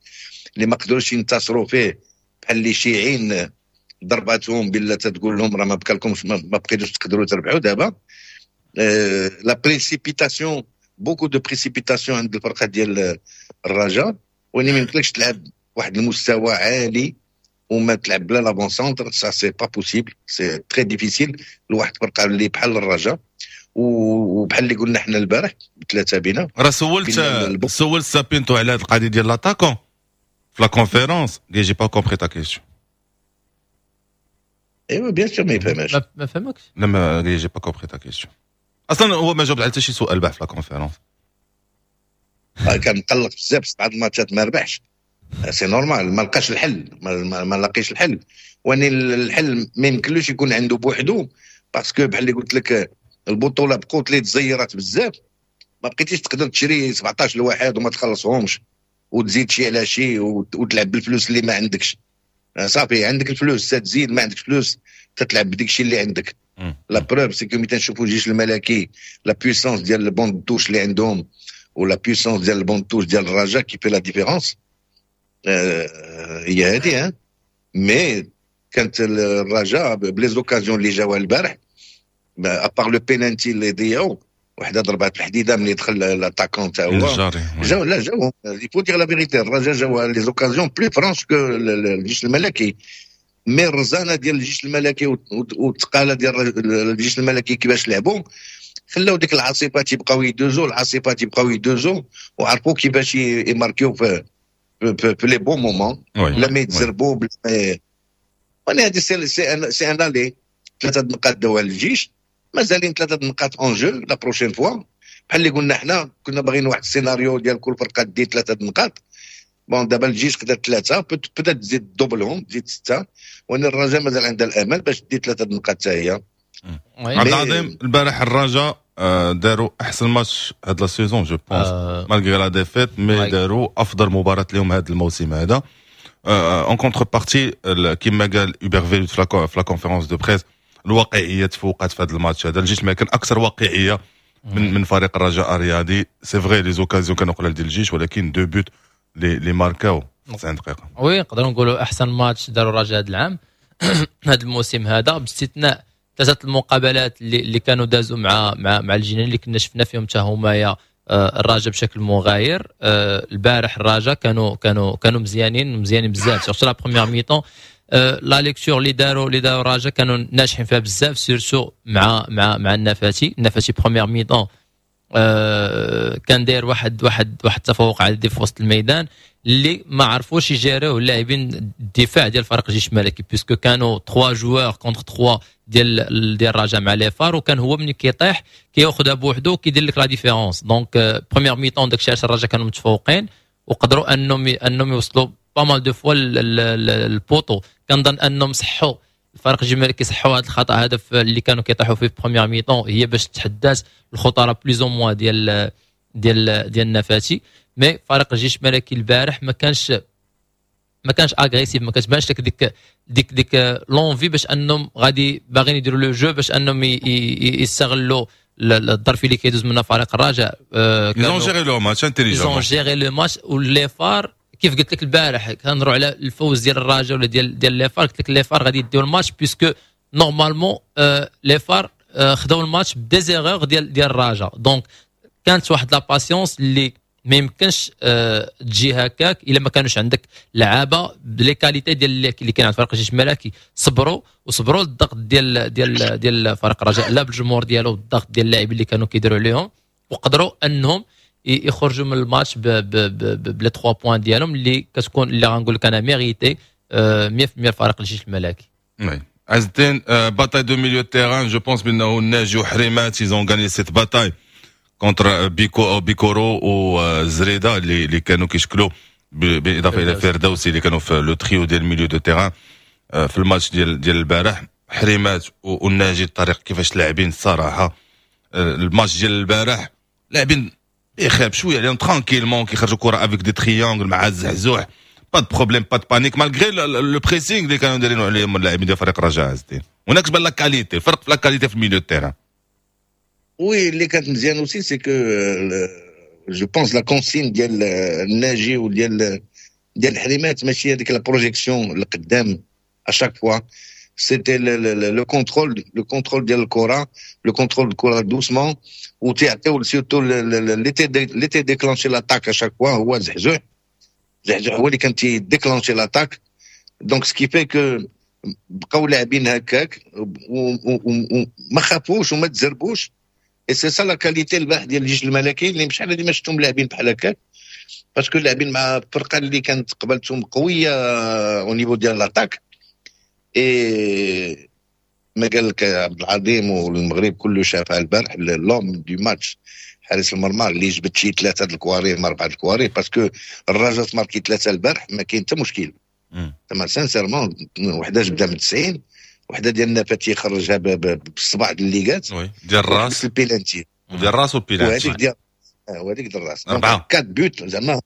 اللي ما قدروش ينتصروا فيه، بحال اللي شيعين ضرباتهم بالله تقول لهم راه ما بقالكمش، ما بقيتوش تقدروا تربحوا دابا. la précipitation، beaucoup de précipitation عند الفرقة ديال الرجاء، وين ما يمكنلكش تلعب واحد المستوى عالي وما تلعب بلا l'avant-centre، ça c'est pas possible، c'est très difficile لواحد الفرقة اللي بحال الرجاء. وبحال اللي قلنا حنا البارح بثلاثة بينا. راه سولت سولت سابينتو على هذه القضية ديال l'attaquant في la conférence، قال j'ai pas compris ta question. ايوا bien sûr ما يفهمهاش. ما فهمكش. لا ما قال j'ai pas compris ta question. اصلا هو ما جاوب على حتى شي سؤال باه في la conférence. كان مقلق بزاف، بعض الماتشات ما ربحش، c'est normal، ما لقاش الحل، ما, ما, ما لقيش الحل. واني الحل ما يمكنلوش يكون عنده بوحدو، parce que بحال اللي قلت لك البطولة بقوت اللي تزيرات بزاف، ما بقيتيش تقدر تشري سبعطاش لواحد وما تخلصهمش وتزيد شي على شي وتلعب بالفلوس اللي ما عندكش. صافي عندك الفلوس تزيد، ما عندكش فلوس تتلعب بديك الشيء اللي عندك. la preuve c'est que ملي تنشوفوا الجيش الملكي، la puissance ديال ال banc de touche اللي عندهم و la puissance ديال ال banc de touche ديال الرجاء qui fait la différence هي هذه. mais كانت الرجاء ب les occasions اللي جاوها البارح، à part le penalty اللي ضيعوا، وحده ضربات الحديدة ملي دخل l'attaquant تا هو، جاو لا جاو، il faut dire la vérité، الرجاء جاو les occasions plus franches que الجيش الملكي. mais الرزانه ديال الجيش الملكي والثقاله ديال الجيش الملكي كيفاش لعبوا، خلاو ديك العاصفات يبقاو يدوزو، العاصفات يبقاو يدوزو، وعرفوا كيفاش يماركيو في في, في les bons moments بلا ما يتزربوا بلا ما. وانا هذه c'est c'est un aller، ثلاثة نقاط داوها الجيش، مازالين ثلاثة نقاط en jeu la prochaine fois. بحال اللي قلنا حنا كنا باغيين واحد السيناريو ديال كل فرقه دي ثلاثة نقاط. bon دابا الجيش خدا ثلاثه، peut-être تزيد دوبلهم، تزيد سته، وان الرجاء مازال عندها الامل باش دي ثلاثة نقاط حتى هي. عبد العظيم، البارح الرجاء داروا احسن ماتش هاد la saison je pense، malgré la défaite، mais داروا افضل مباراة لهم هذا الموسم هذا. en contrepartie، كما قال هوبر فيلوت في la conférence de presse، الواقعية تفوقت في هذا الماتش هذا. الجيش ما كان اكثر واقعية من من فريق الرجاء الرياضي. c'est vrai les occasions كانوا قلال ديال الجيش، ولكن deux buts اللي اللي ماركاو تسعين دقيقه. oui، نقدروا نقولوا احسن ماتش داروا الرجاء هذا العام، هذا الموسم هذا، باستثناء ثلاثة المقابلات اللي, اللي كانوا دازوا مع مع مع الجنان اللي كنا شفنا فيهم حتى هما آه، الرجاء بشكل مغاير. آه، البارح الرجاء كانوا كانوا كانوا مزيانين، مزيانين بزاف، surtout la première mi-temps. la lecture اللي داروا اللي داروا الرجاء كانوا ناجحين فيها بزاف، surtout مع مع مع النفاتي. النفاتي première mi-temps كان داير واحد واحد واحد التفوق عددي في وسط الميدان اللي ما عرفوش يجاريوه اللاعبين الدفاع ديال فريق الجيش الملكي، puisque كانوا ثلاثة joueurs contre ثلاثة ديال ديال الرجاء مع les FAR، وكان هو ملي كيطيح كياخذها بوحدو، كيدير لك la différence. donc première mi-temps داكشي علاش الرجاء كانوا متفوقين وقدروا انهم انهم يوصلوا pas mal de fois ال poteau. كنظن انهم صحوا الفريق الجيش الملكي، صحوا هذا الخطا هذا اللي كانوا كيطيحوا فيه في première mi-temps، هي باش تحدات الخطورة plus ou moins ديال ديال ديال النفاتي. mais فريق الجيش الملكي البارح ما كانش ما كانش agressif، ما كتبانش لك ديك ديك ديك l'envie باش انهم غادي باغيين يديروا le jeu باش انهم يستغلوا الظرف اللي كيدوز منها فريق الرجاء. ils ont géré le match intelligemment، ils ont géré le match. و les FAR كيف قلت لك البارح كنهضروا على الفوز ديال الرجاء ولا ديال ديال les FAR، قلت لك les FAR غادي يديو الماتش، puisque normalement les FAR خداو الماتش ب des erreurs ديال ديال الرجاء. donc كانت واحد la patience اللي ما يمكنش آه، تجي هكاك الا ما كانوش عندك لعابه ب les qualités ديال اللي كاين عند فريق الجيش الملكي. صبروا وصبروا الضغط ديال ديال ديال فريق الرجاء، لا بالجمهور ديالو، الضغط ديال اللاعبين اللي كانوا كيديروا عليهم، وقدروا انهم يخرجوا من الماتش ب les ثلاثة points ديالهم اللي كتكون اللي غنقول لك انا mérités مية في المية فريق الجيش الملكي. oui عز الدين، bataille de milieu terrain، je pense بانه الناجي وحريمات ils ont gagné cette bataille contre بيكو بيكورو وزريده اللي اللي كانوا كيشكلوا بالاضافة الى فردوسي، اللي كانوا في le trio ديال milieu de terrain في الماتش ديال ديال البارح. حريمات والناجي، الطريق كيفاش لاعبين الصراحة الماتش ديال البارح، لاعبين بخير بشوية عليهم، tranquillement كيخرجوا كره avec des triangles مع الزحزوح، pas de problème، pas de panique، malgré le pressing اللي كانوا دايرينه عليهم اللاعبين ديال فريق الرجاء. عز الدين، هناك تبان la qualité، الفرق في la qualité في ال milieu terrain. oui، اللي كانت مزيان aussi c'est que je pense la consigne ديال الناجي وديال ديال الحريمات ماشي هذيك la projection القدام à chaque fois، c'était le contrôle le contrôle ديال الكره، le contrôle الكره doucement، وتيعطيو surtout اللي اللي تي déclencher l'attaque à chaque fois هو زحزوح. زحزوح هو اللي كان تي déclencher l'attaque، donc ce qui fait que بقاو لاعبين هكاك وما خافوش وما تزربوش. et c'est ça la qualité البارح ديال الجيش الملكي اللي شحال هادي ما شفتهم لاعبين بحال هكاك، parce que لاعبين مع الفرقة اللي كانت قبلتهم قوية au niveau ديال l'attaque. et ما قال لك عبد العظيم والمغرب كله شافها البارح، l'homme du match حارس المرمى اللي جبت شي ثلاثة الكواري ما اربعة الكواري، parce que الرجاء ماركي ثلاثة البارح ما كاين حتى مشكل. تما sincèrement وحده جبدها من تسعين، وحده ديال النفاتي خرجها بالصباع ديال الليغات. oui، ديال الراس. البيلانتي. ديال الراس والبيلانتي. وهذيك ديال وهذيك ديال الراس. اربعه. quatre buts. زعما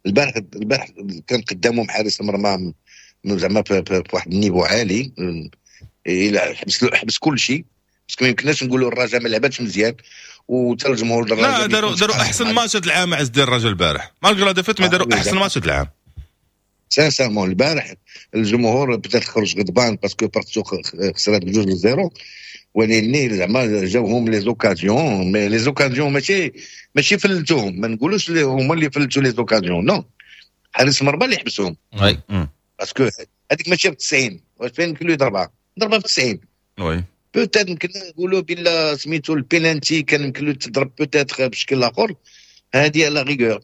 البارح البارح كان قدامهم حارس المرمى زعما في واحد ال niveau عالي. الى حبس حبس كل شيء، parce que ما يمكنناش نقولوا الرجاء ما لعباتش مزيان وحتى الجمهور الرجاء. لا، داروا داروا احسن ماتش هذا العام عز ديال الرجاء البارح، malgré la défaite، mais داروا احسن ماتش هذا العام. sincèrement البارح الجمهور بدا خرج غضبان parce que فرقتو خسرات بجوج ل zéro، ولكن زعما جاوهم les occasions، mais les occasions ماشي ماشي فلتوهم، ما نقولوش هما اللي فلتوا les occasions، non، حارس المرمى اللي حبسهم، parce que هذيك ماشي ب تسعين، واش فين يمكن له يضربها؟ ضربها ب تسعين. oui. peut-être يمكن نقولوا بلا سميتو البيلانتي كان يمكن له تضرب peut-être بشكل اخر، هذه à la rigueur،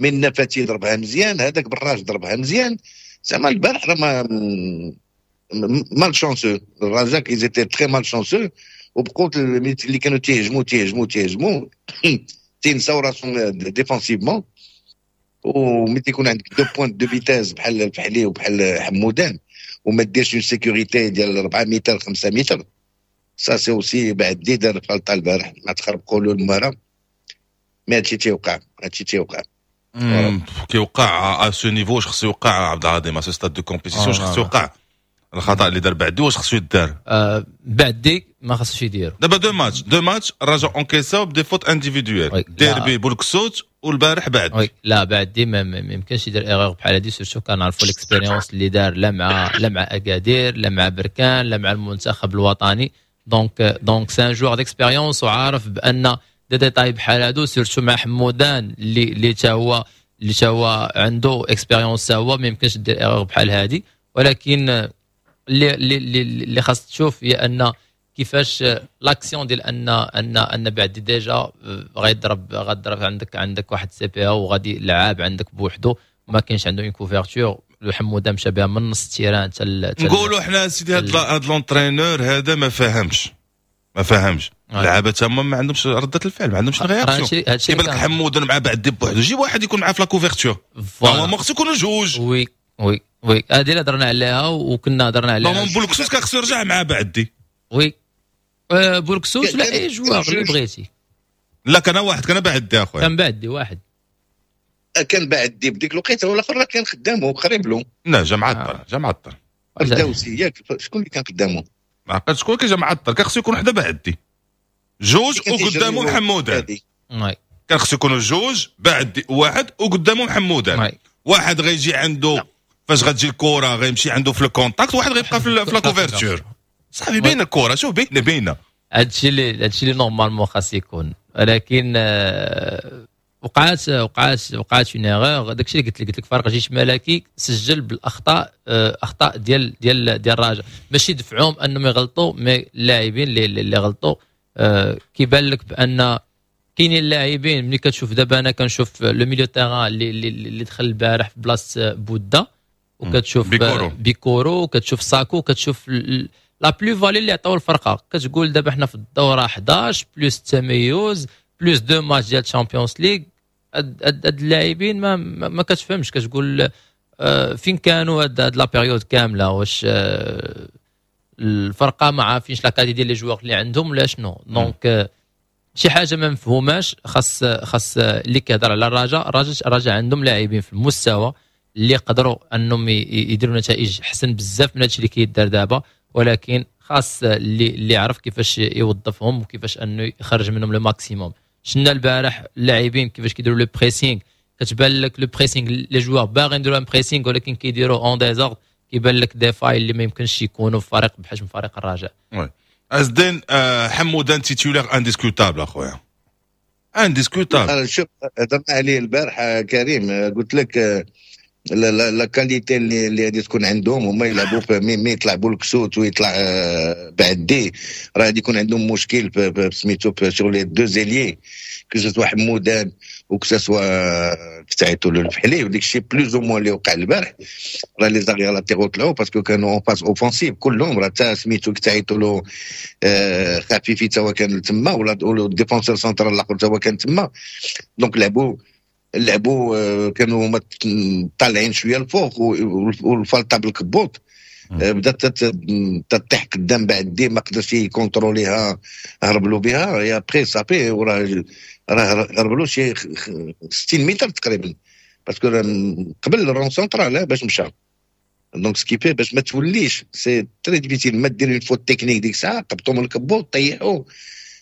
mais النفاتي ضربها مزيان، هذاك براج ضربها مزيان. زعما البارح راه ما malchanceux الرجاء، ils étaient très malchanceux، وبقوت اللي كانوا تيهجموا تيهجموا تيهجموا تينساو راسهم défensivement. وملي تيكون عندك deux pointes de vitesse بحال الفحلي وبحال حمودان وما ديرش une sécurité ديال أربعة متر خمسة متر، ça c'est aussi بعد دي دار فالطا البارح ما تخربقوا له المرا، mais هادشي تيوقع، هادشي تيوقع. كيوقع à ce niveau. واش خصو يوقع عبد العظيم؟ à ce stade de compétition واش خصو يوقع الخطا اللي دار بعدي؟ واش خصو يدار؟ آه، بعدي ما خصوش يديرو. دابا deux matchs deux matchs الرجاء encaissاو ب des fautes individuelles، ديربي بولكسوت والبارح بعد. oui، لا، بعدي ما, ما يمكنش يدير erreur بحال هادي، surtout كنعرفوا l'expérience اللي دار لا مع لا مع اكادير، لا مع بركان، لا مع المنتخب الوطني، donc donc c'est un joueur d'expérience وعارف بان des détails بحال هادو، surtout مع حمودان اللي اللي تا هو اللي تا هو عنده expérience، هو ما يمكنش دير erreur بحال هادي. ولكن اللي اللي اللي خاص تشوف هي ان كيفاش l'action ديال ان ان ان بعد déjà غيضرب غضرب عندك عندك واحد CPA وغادي لعاب عندك بوحدو، ما كاينش عنده une couverture، حموده مشى بها من نص ال terrain. تل نقولوا حنا سيدي هاد هاد l'entraîneur هذا ما فاهمش ما فاهمش اللعابه تما ما عندهمش رده الفعل، ما عندهمش réaction. يبان لك حموده مع بعد بوحدو، جيب واحد يكون معاه في la couverture، normalement خصو يكونوا جوج. oui oui oui هذه اللي هضرنا عليها وكنا هضرنا عليها. normalement بولكسوس كان خصو يرجع مع بعدي. oui، بولكسوس ولا اي joueur اللي بغيتي. لا، كان واحد، كان بعدي اخويا. كان بعدي واحد. كان بعدي بديك الوقيته، والاخر كان خدامه قريب له. لا، جا معطل، جا معطل. الدوسي ياك؟ شكون اللي كان قدامه؟ ما عقلت شكون كان جا معطل. كان خصو يكون حدا بعدي جوج وقدامه محمودان. كان خصو يكونوا جوج، بعد واحد وقدامه محمودان، واحد غيجي عنده فاش غتجي الكره غيمشي عنده في ال contact، واحد غيبقى في la couverture. صافي، بين الكره، شوف، بين بين هادشي اللي هادشي اللي normalement خاص يكون، ولكن آه، وقعات وقعات وقعات une erreur. داكشي اللي قلت لك قلت لك فريق جيش ملكي سجل بالاخطاء، آه، اخطاء ديال ديال ديال الرجاء، ماشي دفعوهم انهم يغلطوا، mais اللاعبين اللي اللي غلطوا. آه، كيبان لك بان كاينين اللاعبين، ملي كتشوف دابا انا كنشوف le milieu terrain اللي اللي دخل البارح في بلاصة بودا، وكتشوف بيكورو. بيكورو، كتشوف ساكو، كتشوف la plus-value اللي عطاو الفرقه، كتقول دابا حنا في الدورة حداش plus التميز plus deux matchs ديال Champions League، هاد اللاعبين ما ما, ما كتفهمش، كتقول آه، فين كانوا هاد la période كامله؟ واش آه، الفرقة ما عارفينش la qualité ديال les joueurs اللي عندهم ولا شنو؟ donc آه، شي حاجة ما مفهوماش. خاص خاص اللي كيهضر على الرجاء، الرجاء الرجاء عندهم لاعبين في المستوى اللي يقدروا انهم يديروا نتائج احسن بزاف من هادشي اللي كيدار دابا، ولكن خاص اللي اللي يعرف كيفاش يوظفهم وكيفاش انه يخرج منهم le maximum. شفنا البارح اللاعبين كيفاش كيديروا le pressing، كتبان لك le pressing، les joueurs باغيين يديروا un pressing ولكن كيديروا en désordre، كيبان لك des failles اللي ما يمكنش يكونوا في فريق بحجم فريق الرجاء. oui ازدين، آه، حمودان titulaire indiscutable اخويا، indiscutable. شوف، هضرنا عليه البارح كريم، قلت لك la la qualité اللي اللي غادي تكون عندهم، هما يلعبوا mais يطلع بولكسوت ويطلع آه، بعدي، راه غادي يكون عندهم مشكل في سميتو sur les deux ailiers، que ce soit حمودان و que ce soit تعيطوا له الفحلي. وديك الشيء plus ou moins اللي وقع البارح، راه les arrières latéraux طلعوا parce que كانوا en phase offensive كلهم، راه حتى سميتو تعيطوا له آه، خفيفي تا هو كان تما، ولا défenseur central الاخر تا هو كان تما، donc لعبوا لعبوا آه، كانوا هما طالعين شوية الفوق، والفالطه بالكبوط آه، بدات تطيح قدام بعد دي، ما قدرش ي contrôlerها، هرب له بها، et après صافي وراه راه هرب له شي ستين متر تقريبا، parce que قبل ال rond central باش مشى. donc ce qui fait باش ما توليش c'est très difficile، ما دير une faute technique ديك الساعة قبطو من الكبوط طيحو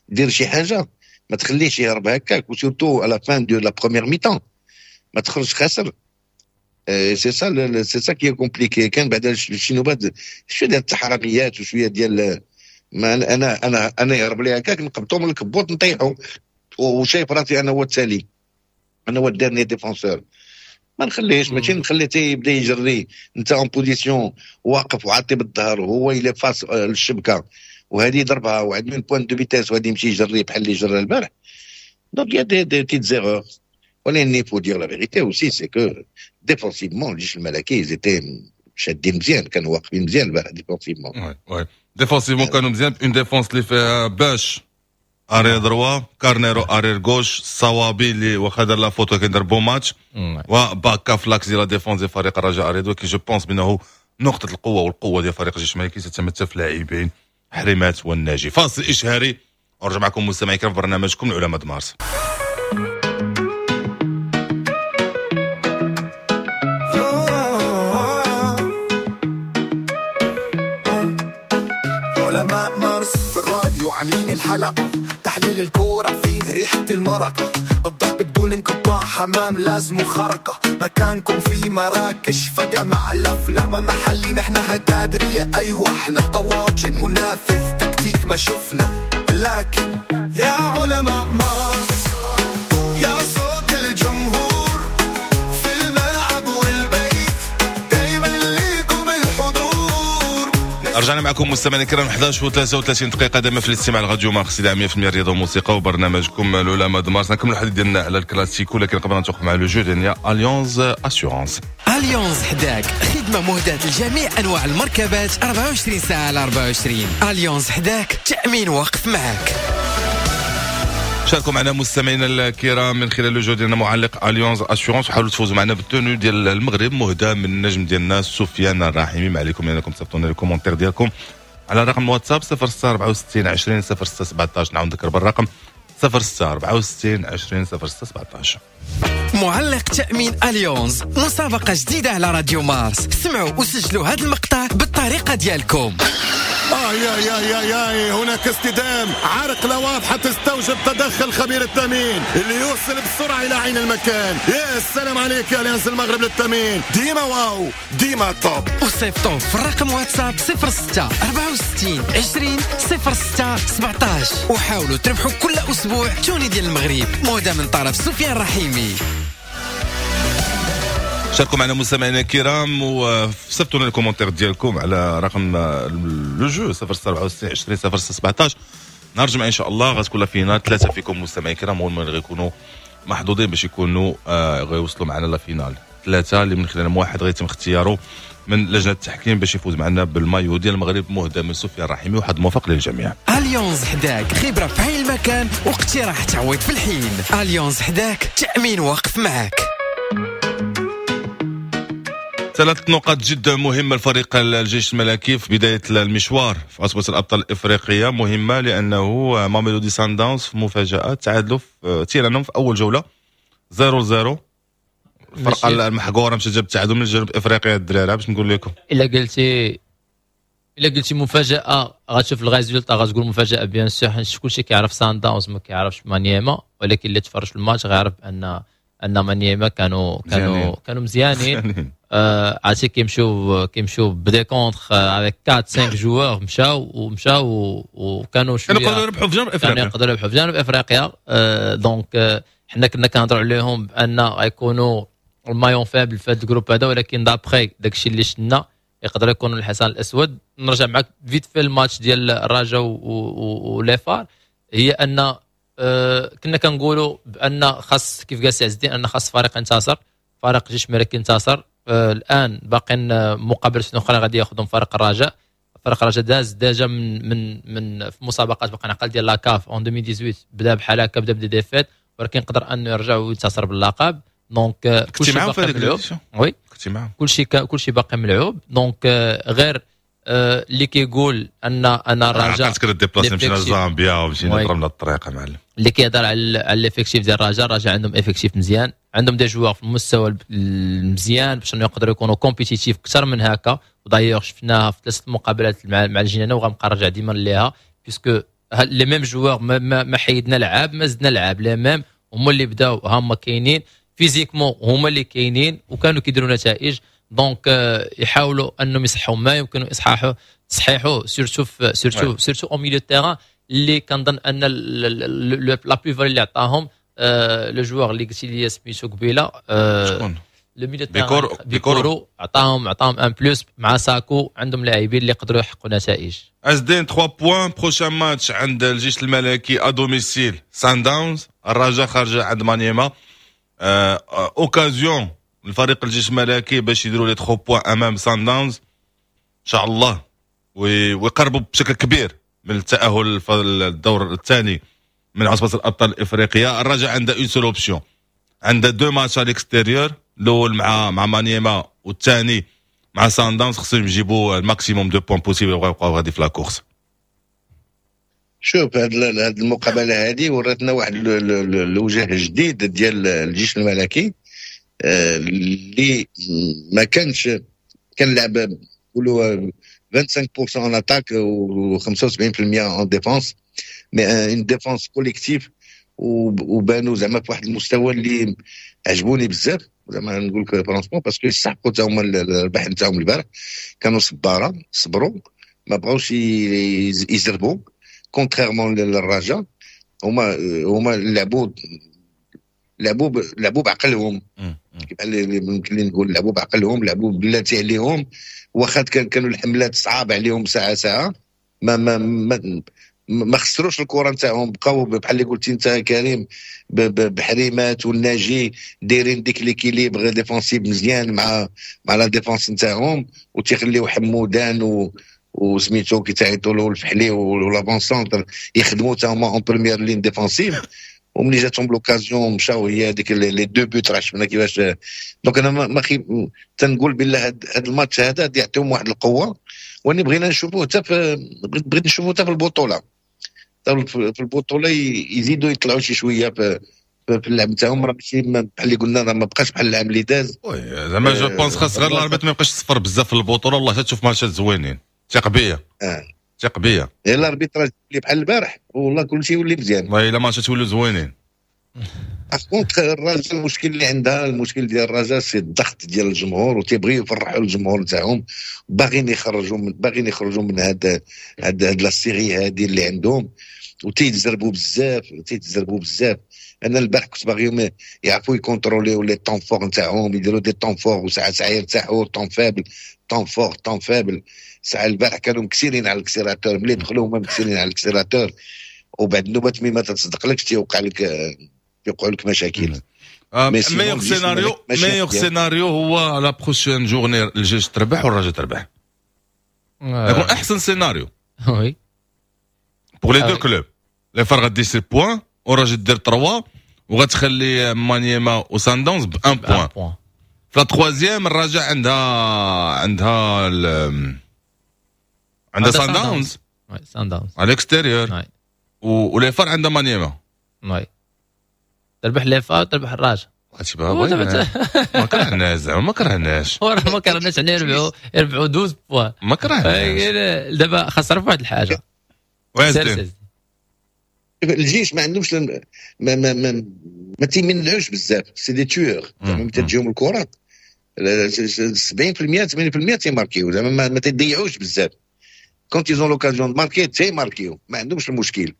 دير شي حاجة، ما تخليش يهرب هكاك، و surtout à la fin de la première mi-temps ما تخرجش خاسر. c'est ça c'est ça qui est compliqué. كان بعد شي نوبات شوية ديال التحرميات وشوية ديال ما انا انا انا يهرب لي هكاك نقبطو من الكبوط نطيحو، وشايف راسي انا هو التالي، انا هو ال dernier défenseur، ما نخليهش، ماشي نخليه حتى يبدا يجري. انت en position واقف وعاطي بالظهر وهو il est face للشبكه وهذه ضربها وعنده une pointe de vitesse وهذه يمشي يجري بحال اللي جرى البارح. donc y a des des petites erreurs، ولكن il faut dire la vérité aussi c'est que défensivement الجيش الملكي ils étaient شادين مزيان، كانوا واقفين مزيان البارح défensivement. oui oui défensivement كانوا مزيان، une défense اللي فيها باش arrière droit، كارنيرو arrière gauche، الصوابي اللي واخا دار la faute ولكن دار bon match، وباكا ف l'axe ديال la défense ديال فريق الرجاء الرياضي. ولكن je pense بانه نقطة القوة والقوه ديال فريق الجيش الملكي تتمثل في لاعبين حريمات والناجي. فاصل اشهاري ونرجع معكم مستمعي الكرام في برنامجكم العلماء مارس. علماء مارس في الراديو عاملين الحلقة، تحليل الكورة فيه ريحة المرق، الضرب بدون انقطاع، حمام لازم خرقة، مكانكم في مراكش فجأة مع الأفلام محلي، نحن هتادرية أيوة احنا طواجن منافذ تكتيك ما شفنا، لكن يا علماء مارس يا صوت الجمهور في الملعب والبيت دايما ليكم الحضور. رجعنا معكم مستمعينا الكرام إحدى عشر وثلاثة وثلاثين دقيقة دائما في الاستماع لراديو مارس إلى مية بالمية رياضة وموسيقى وبرنامجكم العلماء د مارس. نكملوا الحديث ديالنا على الكلاسيكو، لكن قبل ان نتوقف مع le jeu ديالنا Allianz Assurances. Allianz حداك، خدمة مهداة لجميع أنواع المركبات أربعة وعشرين ساعة على أربعة وعشرين. Allianz حداك، تأمين واقف معك. شاركوا معنا مستمعينا الكرام من خلال le jeu ديالنا معلق Allianz Assurances، وحاولوا تفوزوا معنا بال tenue ديال المغرب مهداة من النجم ديالنا سفيان الرحيمي. ما عليكم انكم تصيفطوا لنا ال commentaire ديالكم على رقم الواتساب صفر ستة أربعة وستين عشرين صفر ستة سبعطاش. نعاود نذكر بالرقم صفر ستة أربعة وستين عشرين صفر ستة سبعطاش. معلق تأمين Allianz، مسابقة جديدة على راديو مارس. سمعوا وسجلوا هذا المقطع بالطريقة ديالكم. آه يا يا يا يا هناك اصطدام، عرقلة واضحة تستوجب تدخل خبير التأمين اللي يوصل بسرعة إلى عين المكان. يا سلام عليك يا أليانز المغرب للتأمين، ديما واو ديما top. وصيفطوا في الرقم واتساب صفر ستة أربعة وستين عشرين صفر ستة سبعطاش وحاولوا تربحوا كل أسبوع tenue ديال المغرب مهدى من طرف سفيان رحيمي. شاركوا معنا مستمعينا الكرام وصيفطوا لنا ال commentaire ديالكم على رقم le jeu صفر ستة أربعة وستين عشرين صفر ستة سبعطاش. نهار الجمعة ان شاء الله غتكون la finale، ثلاثة فيكم مستمعين الكرام هما اللي غيكونوا محظوظين باش يكونوا آه غيوصلوا معنا la finale. ثلاثة اللي من خلالهم واحد غيتم اختياره من لجنة التحكيم باش يفوز معنا بالمايو ديال المغرب مهدى من سفيان الرحيمي، وحد موفق للجميع. Allianz حداك، خبره في عين المكان واقتراح تعويض في الحين. Allianz حداك، تامين واقف معك. ثلاث نقاط جدا مهمة لفريق الجيش الملكي في بداية المشوار في عصبة الأبطال الإفريقية، مهمة لأنه ماميلودي سانداونز في مفاجأة تعادلوا في تيرانهم في أول جولة صفر صفر. الفرقة المحقورة مشات جابت التعادل من جنوب إفريقيا الدراري. باش نقول لكم إلا قلتي إلا قلتي مفاجأة غتشوف ال résultat غتقول مفاجأة bien sûr، حيت كلشي كيعرف سانداونز ما كيعرفش مانيما، ولكن اللي تفرج في الماتش غيعرف أن ان مانيما كانوا كانوا كانوا مزيانين. آه عرفتي كيمشيو كيمشيو ب des contres avec أربعة خمسة joueurs، مشاو ومشاو وكانوا شوية كانوا يقدروا يربحوا في جنوب افريقيا، كانوا يقدروا يربحوا في جنوب افريقيا. آه donc آه حنا كنا كنهضروا عليهم بان غيكونوا ال maillon faible في هذا ال groupe هذا، ولكن d'après داكشي اللي شفنا يقدر يكونوا الحصان الاسود. نرجع معك vite في الماتش ديال الرجاء و les FAR، هي ان أه كنا كنقولوا بان خاص كيف قال سي عز الدين ان خاص فريق ينتصر، فريق جيش ملكي ينتصر. أه الان باقيين مقابلات اخرى غادي ياخذهم فريق الرجاء. فريق الرجاء داز déjà من من من في مسابقات باقي نعقل ديال la CAF en ألفين وثمنطاش بدا بحال هكا، بدا ب des défaites، ولكن قدر انه يرجع وينتصر باللقب. donc كلشي باقي ملعوب. oui كلشي كلشي باقي ملعوب. donc غير اللي كيقول ان ان الرجاء عقلت كنا déplacé مشينا لزامبيا ومشينا ضربنا الطريق معلم. اللي كيهضر على على l'effectif ديال الرجاء، الرجاء عندهم effectif مزيان، عندهم des joueurs في المستوى المزيان باش يقدروا يكونوا compétitifs اكثر من هكا. و d'ailleurs شفناها في ثلاث مقابلات مع مع الجنانه، وغنبقى نرجع ديما ليها puisque les mêmes joueurs، ما, ما, ما حيدنا لعاب ما زدنا لعاب، les mêmes هما اللي بداو، هما كاينين physiquement، هما اللي كاينين وكانوا كيديروا نتائج. donc يحاولوا انهم يصحوا ما يمكن اصحاحه تصحيحه، surtout surtout surtout au milieu terrain اللي كنظن ان la plus-value اللي عطاهم le joueur اللي قلتي لي سميتو قبيله. شكون؟ le milieu بيكورو. بيكورو عطاهم عطاهم un plus مع ساكو، عندهم لاعبين اللي يقدروا يحققوا نتائج. عز الدين، ثلاثة points، prochain match عند الجيش الملكي à domicile سان داونز، الرجاء خارجه عند مانيما. occasion الفريق الجيش الملكي باش يديروا les ثلاثة points امام سان داونز ان شاء الله ويقربوا بشكل كبير من التاهل في الدور الثاني من عصبه الابطال الافريقيه. الرجاء عندها une seule option، عندها deux matchs à l'extérieur، الاول مع مع مانيما والثاني مع سان داونز، خصهم يجيبوا ال maximum de points possible ويبقاو غادي في la course. شوف، هاد المقابلة هذه وراتنا واحد الوجه جديد ديال الجيش الملكي آه، اللي ما كانش كان لعب نقولوا خمسة وعشرين في المية en attaque و خمسة وسبعين في المية en défense، mais une défense collective، وبانوا زعما في واحد المستوى اللي عجبوني بزاف، زعما نقول لك franchement، parce que يستحقوا حتى هما الربح نتاعهم البارح. كانوا صباره، صبروا، ما بغاوش يزربوا، contrairement للرجاء. هما هما لعبوا لعبوا لعبوا بعقلهم، بحال ممكن نقول لعبوا بعقلهم، لعبوا بلاتي عليهم، واخا كان كانوا الحملات صعاب عليهم ساعة ساعه، ما ما ما ما خسروش الكره نتاعهم، بقاو بحال اللي قلتي انت كريم بحريمات والناجي دايرين ديك l'équilibre défensif مزيان مع مع la défense نتاعهم، وتيخليو حمودان و وسميتو كيتعيطوا له الفحلي و l'avant-centre يخدموا تا هما en première ligne défensive. وملي جاتهم l'occasion مشاو، هي هذيك les deux buts، راه شفنا كيفاش. donc انا ما خي تنقول بالله هذا الماتش هذا يعطيهم واحد القوه، واني بغينا نشوفوه حتى في بغيت نشوفوه حتى في البطوله، في البطولة يزيدوا يطلعوا شي شوية في في اللعب نتاعهم. راه ماشي بحال اللي قلنا، راه ما بقاش بحال العام اللي داز. oui، زعما je pense خاص غير l'arbitre ما يبقاش يصفر بزاف في البطوله، والله تشوف ماتشات زوينين، ثق بيا. اه ثق بيا. l'arbitrage اللي بحال البارح والله كل شيء يولي مزيان. والله الا ماتشات يولوا زوينين. contre الرجاء، المشكل اللي عندها، المشكل ديال الرجاء c'est الضغط ديال الجمهور، وتيبغيو يفرحوا الجمهور نتاعهم، باغيين يخرجوا من باغيين يخرجوا من هاد هاد هاد la série هادي اللي عندهم، وتيتزربوا بزاف، تيتزربوا بزاف. انا البارح كنت باغيهم يعرفوا يكونتروليو les temps forts نتاعهم، يديروا des temps forts وساعة ساعة يرتاحوا، temps faible، temps fort، temps faible. ساعة البارح كانوا مكسيرين على l'accélérateur، ملي دخلوا هما مكسيرين على l'accélérateur، وبعد النوبات مي ما تصدقلكش تيوقع لك تيوقعوا لك مشاكل. meilleur scénario meilleur scénario هو la prochaine journée الجيش تربح والرجاء تربح، يكون احسن سيناريو. oui. pour les deux clubs، les FAR غدي six points والرجاء دير ثلاثة، وغتخلي مانيما وسان داونز ب un point. في la troisième الرجاء عندها عندها عندها سان داونز. سان داونز. à l'extérieur، و les FAR عندها مانيما. oui، تربح les FAR، تربح الرجاء. هادشي ما كرهناش، زعما ما كرهناش. وراه ما كرهناش، يعني يربحوا يربحوا douze points. ما كرهناش. دابا خاص نعرف واحد الحاجه. الجيش ما عندهمش ما ما ما, ما تيمنعوش بزاف، c'est des tueurs، زعما تجيهم الكره سبعين في المية ثمانين في المية تيماركيو، زعما ما, ما تضيعوش بزاف. quand ils ont l'occasion marquer تيماركيو، ما عندهمش المشكل.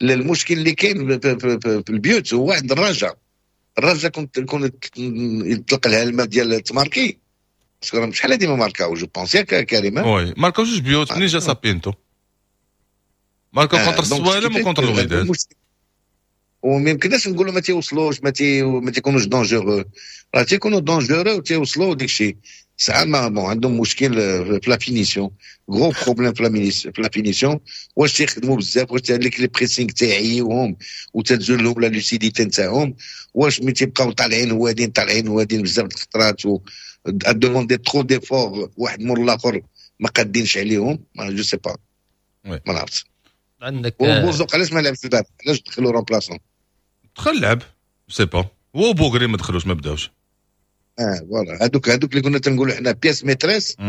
المشكل اللي كاين في, في, في, في البيوت هو عند الرجاء. الرجاء كنت كنت يطلق لها الماء ديال تماركي، parce que شحال هادي ما ماركاو، je pense، ياك كريم؟ oui، ماركاو جوج بيوت منين جا سابينتو، ماركاو contre السوالم و contre الوداد. وما يمكنناش نقولوا ما تيوصلوش، ما تي ما تيكونوش dangereux، راه تيكونوا dangereux وتيوصلوا ديك الشيء. ساعة ما bon عندهم مشكل في la finition، gros problème في la finition. واش تيخدموا بزاف؟ واش ديك les pressings تاعيهم وتتزول لهم la lucidité نتاعهم؟ واش ملي تيبقاو طالعين هوادين طالعين هوادين بزاف الخطرات و demander trop d'efforts واحد مور الاخر، ما قادينش عليهم، ما je sais pas، ما نعرفش. عندك وبوزوق علاش ما لعبش البارح؟ علاش دخلوا remplaçant؟ دخل لعب، sais pas، هو بوغري ما دخلوش، ما بداوش. اه voilà، هذوك هذوك اللي كنا تنقولوا حنا pièces maîtresses.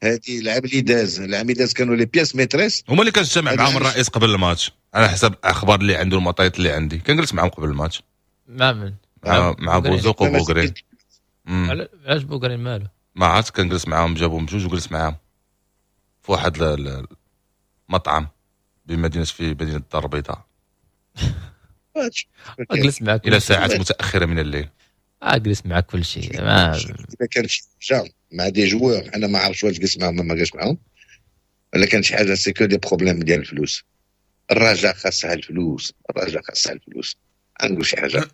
هذه العام اللي داز، العام اللي داز كانوا les pièces maîtresses. هما اللي كنجتمع معاهم الرئيس قبل الماتش، على حسب الاخبار اللي عنده، المعطيات اللي عندي، كنجلس معاهم قبل الماتش. مع من؟ مع, مع بوزوق وبوغري. علاش بوغري مالو؟ ما عرفت، كنجلس معاهم، جابهم بجوج وجلس معاهم في واحد المطعم بمدينة في مدينة الدار البيضاء. جلس معك الى ساعات متاخرة من الليل. اجلس معك كل شيء ما اذا كان شي حاجة مع des joueurs، انا ما عرفتش واش جلس معاهم ما جلس معاهم، ولا كان شي حاجه، c'est que des problèmes ديال الفلوس. الرجاء خاصها الفلوس، الرجاء خاصها الفلوس. نقول شي حاجه،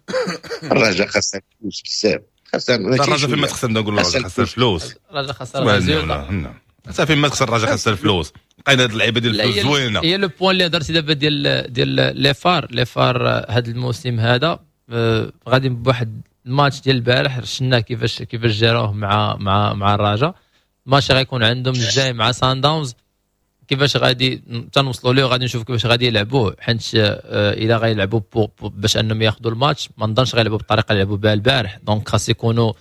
الرجاء خاصها الفلوس بزاف. خاصها الرجاء فين ما تخسر، نقول الرجاء خاصها الفلوس. الرجاء خاصها الفلوس، صافي، ما تخسر الرجاء خاصها الفلوس. لقينا هاد اللعيبة ديال الفلوس زوينه. هي le point اللي هضرتي دابا ديال ديال les FAR، les FAR هذا الموسم هذا آه، غادي بواحد الماتش ديال البارح شفنا كيفاش كيفاش جاروه مع مع مع الرجاء. الماتش غيكون عندهم الجاي مع سان داونز، كيفاش غادي تنوصلوا ليه غادي نشوف كيفاش غادي يلعبوه، حيت آه، الا غيلعبوا باش انهم ياخذوا الماتش، ما نظنش غيلعبوا بالطريقة اللي لعبوا بها البارح. donc خاص يكونوا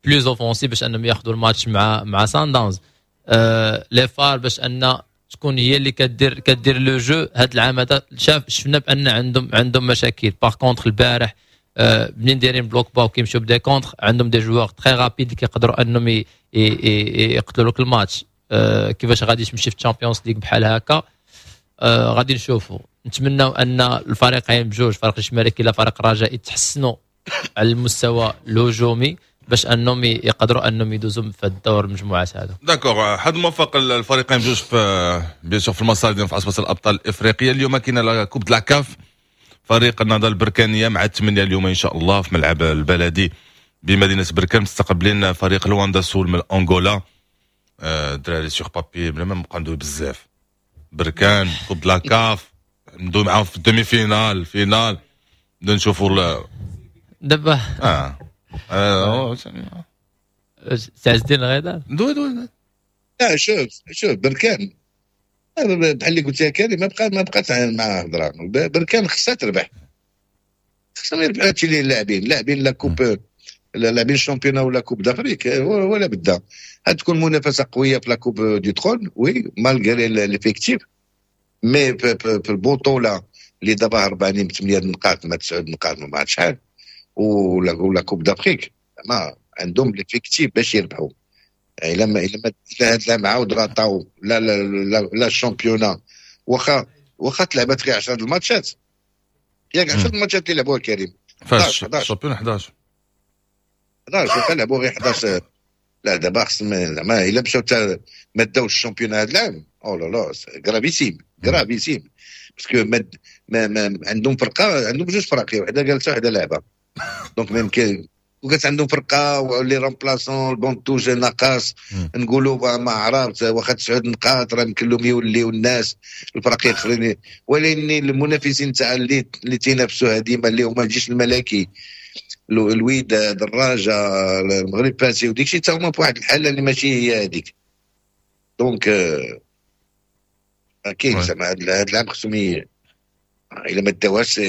plus offensifs باش انهم ياخذوا الماتش مع مع سان داونز. آه les FAR باش ان تكون هي اللي كدير كدير le jeu، هذا العام هذا شاف شفنا بان عندهم عندهم مشاكل. par contre البارح آه، منين دايرين bloc bas وكيمشيو ب des contres، عندهم des joueurs très rapides كيقدروا انهم يقتلوا لك الماتش. آه، كيفاش غادي تمشي في ال Champions League بحال هكا؟ آه، غادي نشوفوا. نتمناو ان الفريقين بجوج، فريق الجيش الملكي لا فريق الرجاء، يتحسنوا على المستوى الهجومي باش انهم يقدروا انهم يدوزوا في الدور المجموعات هذا. d'accord، حظ موفق الفريقين بجوج في bien sûr في المسار ديالهم في عصبه الابطال الافريقيه. اليوم كاينه la Coupe de la CAF، فريق النهضة البركانيه مع الثمانية اليوم ان شاء الله في ملعب البلدي بمدينة بركان مستقبلين فريق لواندا سول من انغولا. الدراري sur papier بلا ما نبقى ندوي بزاف، بركان Coupe de la CAF، ندوي معاهم في ال demi-finale، finale، نبداو نشوفوا. دابا اه, آه. سي عز الدين غيدار. دوي دوي. لا، شوف شوف، بركان بحال اللي قلت يا كريم، ما بقى ما بقات مع هضره. بركان خصها تربح، خصهم يربحوا. هادشي اللي لاعبين لاعبين la coupe، لاعبين ال championnat ولا Coupe d'Afrique، ولا بدا تكون منافسه قوية في la Coupe du Trône، oui، malgré l'effectif، mais في البطولة اللي دابا هربانين بثمانية نقاط ما تسعة نقاط ما عرفت شحال، ولا ولا Coupe d'Afrique، ما عندهم l'effectif باش يربحوا. الا ما الا ما الا هاد العام عاود راطاو لا لا لا, لا ال championnat، واخا واخا تلعبات غير عشرة الماتشات، ياك عشرة الماتشات اللي لعبوها كريم؟ فاش ال championnat حداش. حداش، واخا لعبوا غير حداش. لا، دابا خص زعما الا مشاو ما داوش ال championnat هذا العام، oh là là، gravissime gravissime، parce que ما, ما, ما عندهم فرقه، عندهم جوج فرق، وحده جالسة وحده لعبه، donc ما يمكن وكانت عندهم فرقه و les remplaçants، ال banc de touche ناقص. نقولوا ما عرفت، واخا تسعود نقاط راه يمكن لهم يوليو الناس الفرق الاخرين، ولكن المنافسين تاع اللي اللي تينافسوها ديما اللي هما الجيش الملكي، الوداد، الرجاء، المغرب فاسي وديك الشيء، حتى هما في واحد الحالة اللي ماشي هي هذيك. donc كاين زعما هذا العام خصهم الا ما داوهاش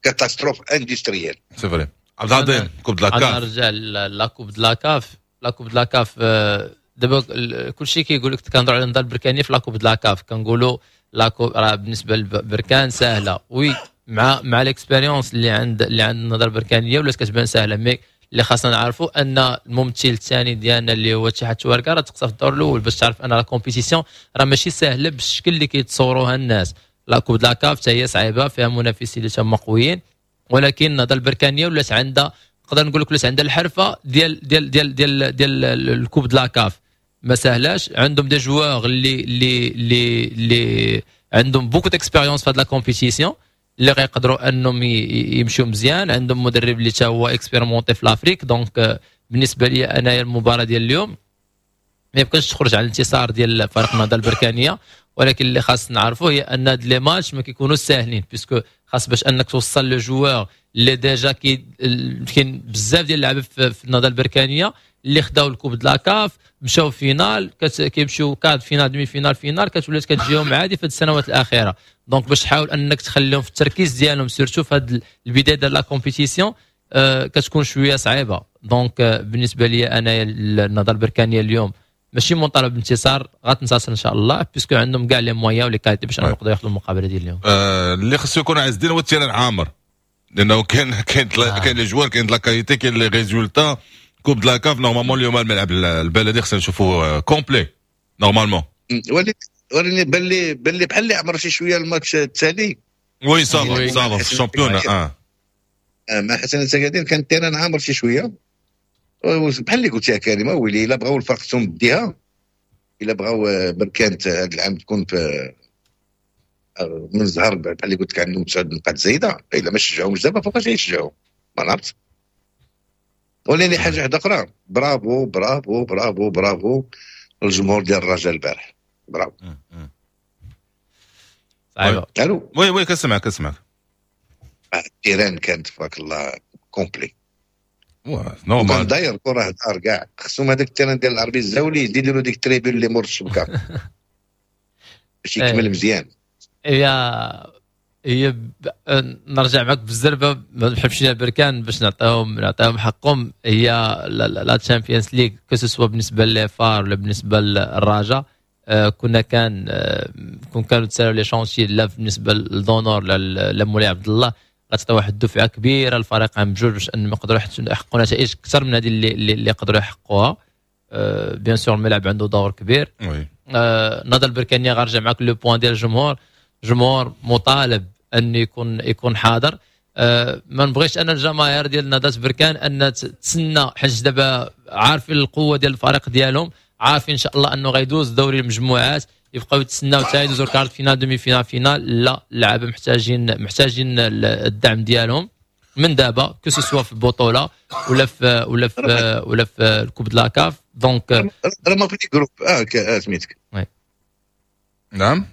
catastrophe industrielle. c'est vrai. عبد العظيم، Coupe de la CAF. نرجع la Coupe de la CAF، la Coupe de la CAF دابا كلشي كيقول لك كنهضروا على النهضة البركانيه في la Coupe de la CAF، كنقولوا la coupe راه بالنسبة لبركان سهله. oui، مع مع l'expérience اللي عند اللي عند النهضة البركانيه ولات كتبان سهله، mais اللي خاصنا نعرفوا ان الممثل الثاني ديالنا اللي هو اتحاد تواركا راه تقصى في الدور الاول، باش تعرف ان la compétition راه ماشي سهلة بالشكل اللي كيتصوروها الناس. la Coupe de la CAF حتى هي صعيبه، فيها منافسين اللي تما قويين، ولكن النهضة البركانيه ولات عندها، نقدر نقول لك ولات عندها الحرفة ديال ديال ديال ديال ديال ال Coupe de la CAF. ما سهلاش، عندهم des joueurs اللي اللي اللي اللي عندهم beaucoup d'expérience في هاد la compétition اللي غيقدروا انهم يمشيو مزيان. عندهم مدرب اللي تا هو expérimenté في l'Afrique. donc بالنسبة لي انايا المباراة ديال اليوم ما يمكنش تخرج على الانتصار ديال فريق النهضة البركانيه، ولكن اللي خاص نعرفه هي ان هاد les matchs ما كيكونوش ساهلين، puisque خاص باش انك توصل les joueurs اللي déjà كاين بزاف ديال اللعابه في النهضة البركانيه اللي خداو ال coupe de la CAF، مشاو finale، كيمشيو quart de finale، demi-finale، finale، كتولي كتجيهم عادي في السنوات الاخيره. donc باش تحاول انك تخليهم في التركيز ديالهم surtout في هذه البداية ديال la compétition آه كتكون شوية صعيبة. donc آه بالنسبة لي انا النهضة البركانيه اليوم ماشي مطالب بانتصار، غتنتصر ان شاء الله puisque عندهم كاع les moyens و les qualités باش يقدروا ياخذوا المقابلة ديال اليوم. آه اللي خصو يكون عز الدين هو ال terrain عامر، لانه كاين كاين آه. كاين les joueurs، كاين la qualité، كاين les résultats، coupe de la CAF. normalement اليوم الملعب البلدي خصنا نشوفوا complet normalement. ولكن ولكن بان لي بان لي بحال اللي عمر شي شوية الماتش التالي. oui ça va ça va في ال championnat اه مع حسن اكادير كان ال terrain عامر شي شويه. بحال اللي قلت يا كريم، ويلي الا بغاو الفرق ديها، الا بغاو بركان هذا العام تكون في من الزهر، بحال اللي قلت لك عندهم تسع نقاط زايده، الا ما شجعوهمش دابا فوقاش يشجعوا؟ ما نعرفت. ولكن حاجة واحدة اخرى، bravo bravo bravo bravo الجمهور ديال الرجاء البارح، برافو. صعيبه. الو؟ oui oui، كنسمعك كنسمعك. ال terrain كانت تبارك الله complet. normal. داير كره دار كاع، خصهم هذاك ال terrain ديال العربي الزاولي يديروا ديك tribune اللي مور الشبكة باش يكمل مزيان. هي هي نرجع معك بالزربه، ما نحبش بركان باش نعطيهم نعطيهم حقهم. هي la Champions League، que ce soit بالنسبة les FAR ولا بالنسبة للرجاء، آه، كنا كان آه، كون كانوا تسالوا les chantiers، لا بالنسبة لدونور لا مولاي عبد الله، غتعطي واحد الدفعة كبيرة للفريق عام بجوج باش انهم يقدروا يحققوا نتائج اكثر من هذه اللي اللي يقدروا يحققوها. bien sûr الملعب عنده دور كبير. oui. النهضة البركانيه، غنرجع معك le point ديال الجمهور، الجمهور مطالب ان يكون يكون حاضر. أه ما نبغيش انا الجماهير ديال نهضة بركان ان تسنى، حيت دابا عارفين القوة ديال الفريق ديالهم، عارفين ان شاء الله انه غيدوز دوري المجموعات، يبقاو يتسناو حتى يدوزو quart de finale، demi-finale، finale؟ لا، اللعابه محتاجين محتاجين الدعم ديالهم من دابا، que ce soit في البطولة ولا في ولا في ولا في ال coupe de la CAF. donc راه ما في groupe اه سميتك. نعم.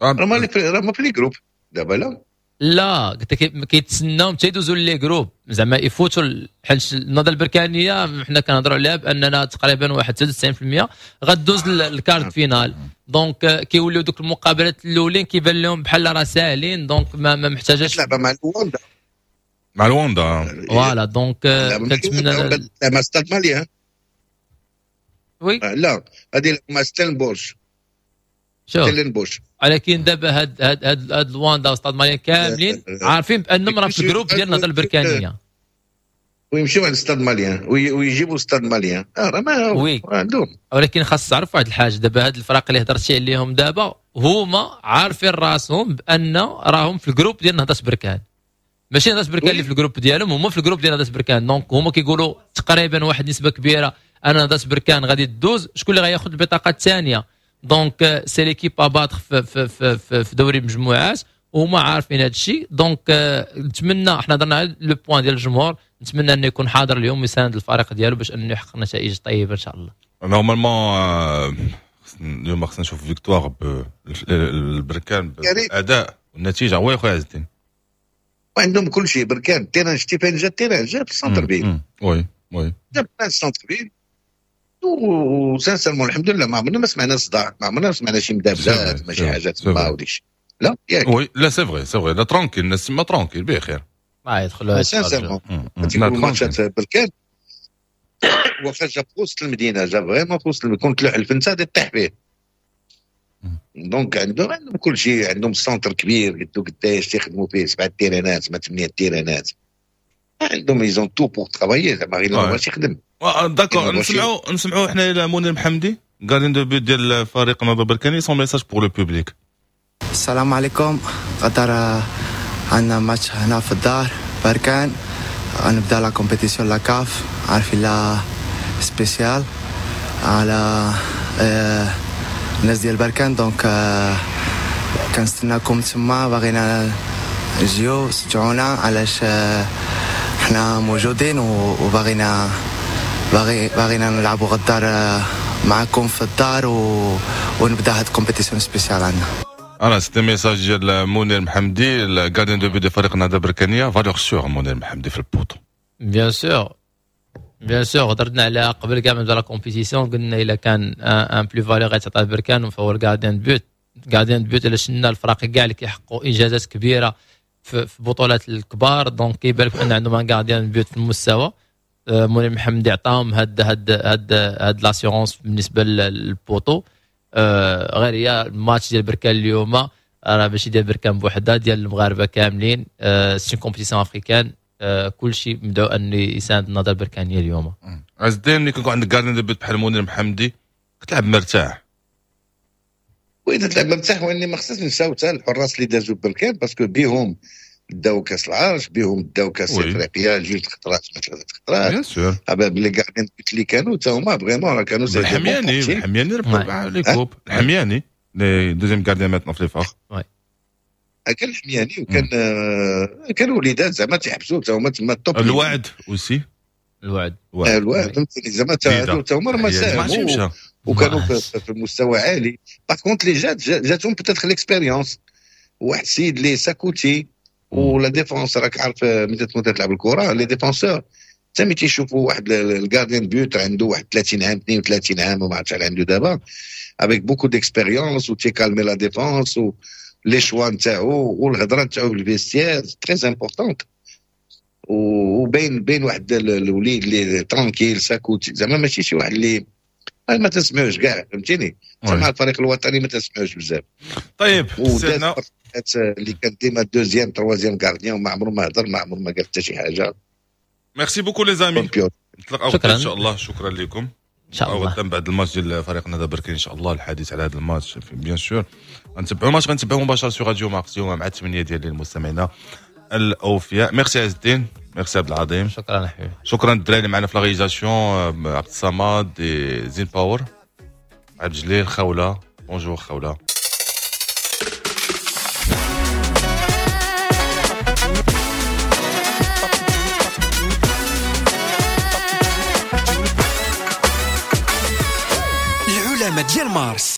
راه ما راه ما في les groupes دابا، لا؟ لا، قلت لك كيتسناو حتى يدوزوا les groupes، زعما يفوتوا، حيت النهضة البركانيه حنا كنهضروا عليها باننا تقريبا واحد تسعة وتسعين في المية غدوز ال quart de finale، donc كيوليو دوك المقابلات الاولين كيبان لهم بحال راه ساهلين، donc ما, ما محتاجاش. لعبه مع الواندا. مع الواندا. voilà، donc كنتمنى مع Stade Malien. oui. لا، هذه مع ستيلنبوش. شوف. ستيلنبوش. ولكن دابا هاد هاد هاد, هاد لواندا و Stade Malien كاملين عارفين بانهم راه في ال groupe ديال النهضة البركانيه. ويمشيو عند Stade Malien ويجيبوا Stade Malien، اه راه ما oui عندهم. ولكن خاص تعرف واحد الحاجه، دابا هاد الفرق اللي هضرتي عليهم دابا هما عارفين راسهم بان راهم في ال groupe ديال نهضة بركان، ماشي نهضة بركان اللي في ال groupe ديالهم، هما في ال groupe ديال نهضة بركان. donc هما كيقولوا تقريبا واحد النسبة كبيرة ان نهضة بركان غادي تدوز، شكون اللي غياخذ البطاقة الثانيه؟ donc c'est l'équipe à battre في, في, في, في, في دوري المجموعات، وهما عارفين هذا الشيء. donc نتمنى، احنا هضرنا على le point ديال الجمهور، نتمنى انه يكون حاضر اليوم ويساند الفريق ديالو باش انه يحقق نتائج طيبة ان شاء الله. normalement اليوم خصنا نشوف victoire البركان بالاداء والنتيجه. oui خويا عز الدين. وعندهم كل شيء بركان، terrain شتي فين جا ال terrain؟ جا في ال centre-ville. oui oui. جا في ال centre-ville و sincèrement الحمد لله ما عمرنا ما سمعنا صداع، ما عمرنا ما سمعنا شي مدابزات، ماشي حاجات تما وديك الشيء، لا ياك؟ oui، لا c'est vrai c'est vrai، لا tranquille، الناس تما tranquille بخير. ما يدخلوا. sincèrement تيكون ماتشات بركان واخا جا في وسط المدينه، جا vraiment في وسط، كنت تلوح الفنته غادي طيح فيه. donc عندهم عندهم كل شيء، عندهم centre كبير قدو قداش تيخدموا فيه، سبعة تيرانات ما ثمانية تيرانات عندهم، ils ont tout pour travailler، زعما غير ماشي يخدم. d'accord، نسمعوا نسمعوا حنا الى منير محمدي، gardien de but ديال فريق النهضة البركاني، son message pour le public. السلام عليكم، غدا عندنا ماتش هنا في الدار بركان، غنبدا la compétition la CAF، عارفين la spéciale على آه الناس ديال بركان، donc آه كنستناكم تما، باغينا تجيو شجعونا، علاش آه حنا موجودين وباغينا باغي باغينا نلعبوا غدا معكم في الدار و... ونبدا هاد compétition spéciale عندنا. انا c'était message ديال منير محمدي ال gardien de but ديال فريق النهضة البركانيه، valeur sûre منير محمدي في ال poteau. bien sûr bien sûr، هضرنا عليها قبل كاع ما نبدا la compétition، قلنا الا كان une plus-value غيتعطى البركان فهو ال gardien de but. gardien de but الا شفنا الفراقي كاع اللي كيحققوا انجازات كبيرة في بطولات الكبار، donc كيبان لك ان عندهم un gardien de but في المستوى. منير محمدي عطاهم هاد هاد هاد هاد l'assurance بالنسبة لل poteau. غير هي الماتش ديال بركان اليوم راه ماشي ديال بركان بوحدها، ديال المغاربة كاملين. c'est compétition africaine، كلشي مدعو ان يساند النهضة البركانيه اليوم. عز الدين، ملي كيكون عندك gardien de but بحال منير محمدي كتلعب مرتاح. oui تلعب مرتاح، واني ما خصناش نساو حتى الحراس اللي دازوا بركان، parce que بيهم داو كاس العرش، بيهم داو كاس افريقيا جوج خطرات ثلاث خطرات. bien sûr، les gardiens اللي كانوا حتى هما vraiment راه كانوا. الحمياني، الحمياني ربحوا les coupes، الحمياني les deuxième gardien maintenant في les FAR. كان الحمياني وكان كان وليدات زعما تيحبسوا حتى هما تما ال top. الوعد aussi. الوعد. الوعد فهمتني، زعما حتى هما راه ما ساهموا وكانوا في مستوى عالي. par contre اللي جات جاتهم peut-être l'expérience، واحد السيد اللي ساكوتي و la défense، راك عارف ملي تكون تلعب الكره les défenseurs حتى ملي تيشوفوا واحد ال gardien de but عنده واحد ثلاثين عام اثنين وثلاثين عام وما عرفتش شحال عنده دابا، avec beaucoup d'expérience و تيكالمي la défense و les choix نتاعو والهضره نتاعو في ال vestiaire très importante، وبين بين واحد الوليد اللي tranquille ساكوتي، زعما ماشي شي واحد اللي ما تسمعوش كاع، فهمتيني، مع الفريق الوطني ما تسمعوش بزاف. طيب سيدنا اللي كان ديما deuxième troisième gardien وما عمره ما هضر، ما عمره ما قال حتى شي حاجة. merci beaucoup les amis، نتلاقاو ان شاء الله. شكرا لكم. ان شاء الله غدا بعد الماتش ديال فريق النهضة بركان ان شاء الله الحديث على هذا الماتش. bien sûr غنتبعوا الماتش، غنتبعوا مباشرة sur راديو مارس اليوم مع ثمانية ديال المستمعين الاوفياء. ميرسي عز الدين، ميرسي عبد العظيم. شكرا حبيبي. شكرا الدراري اللي معنا في la réalisation، عبد الصمد، زين باور، عبد الجليل، خوله. bonjour خوله. العلماء ديال مارس.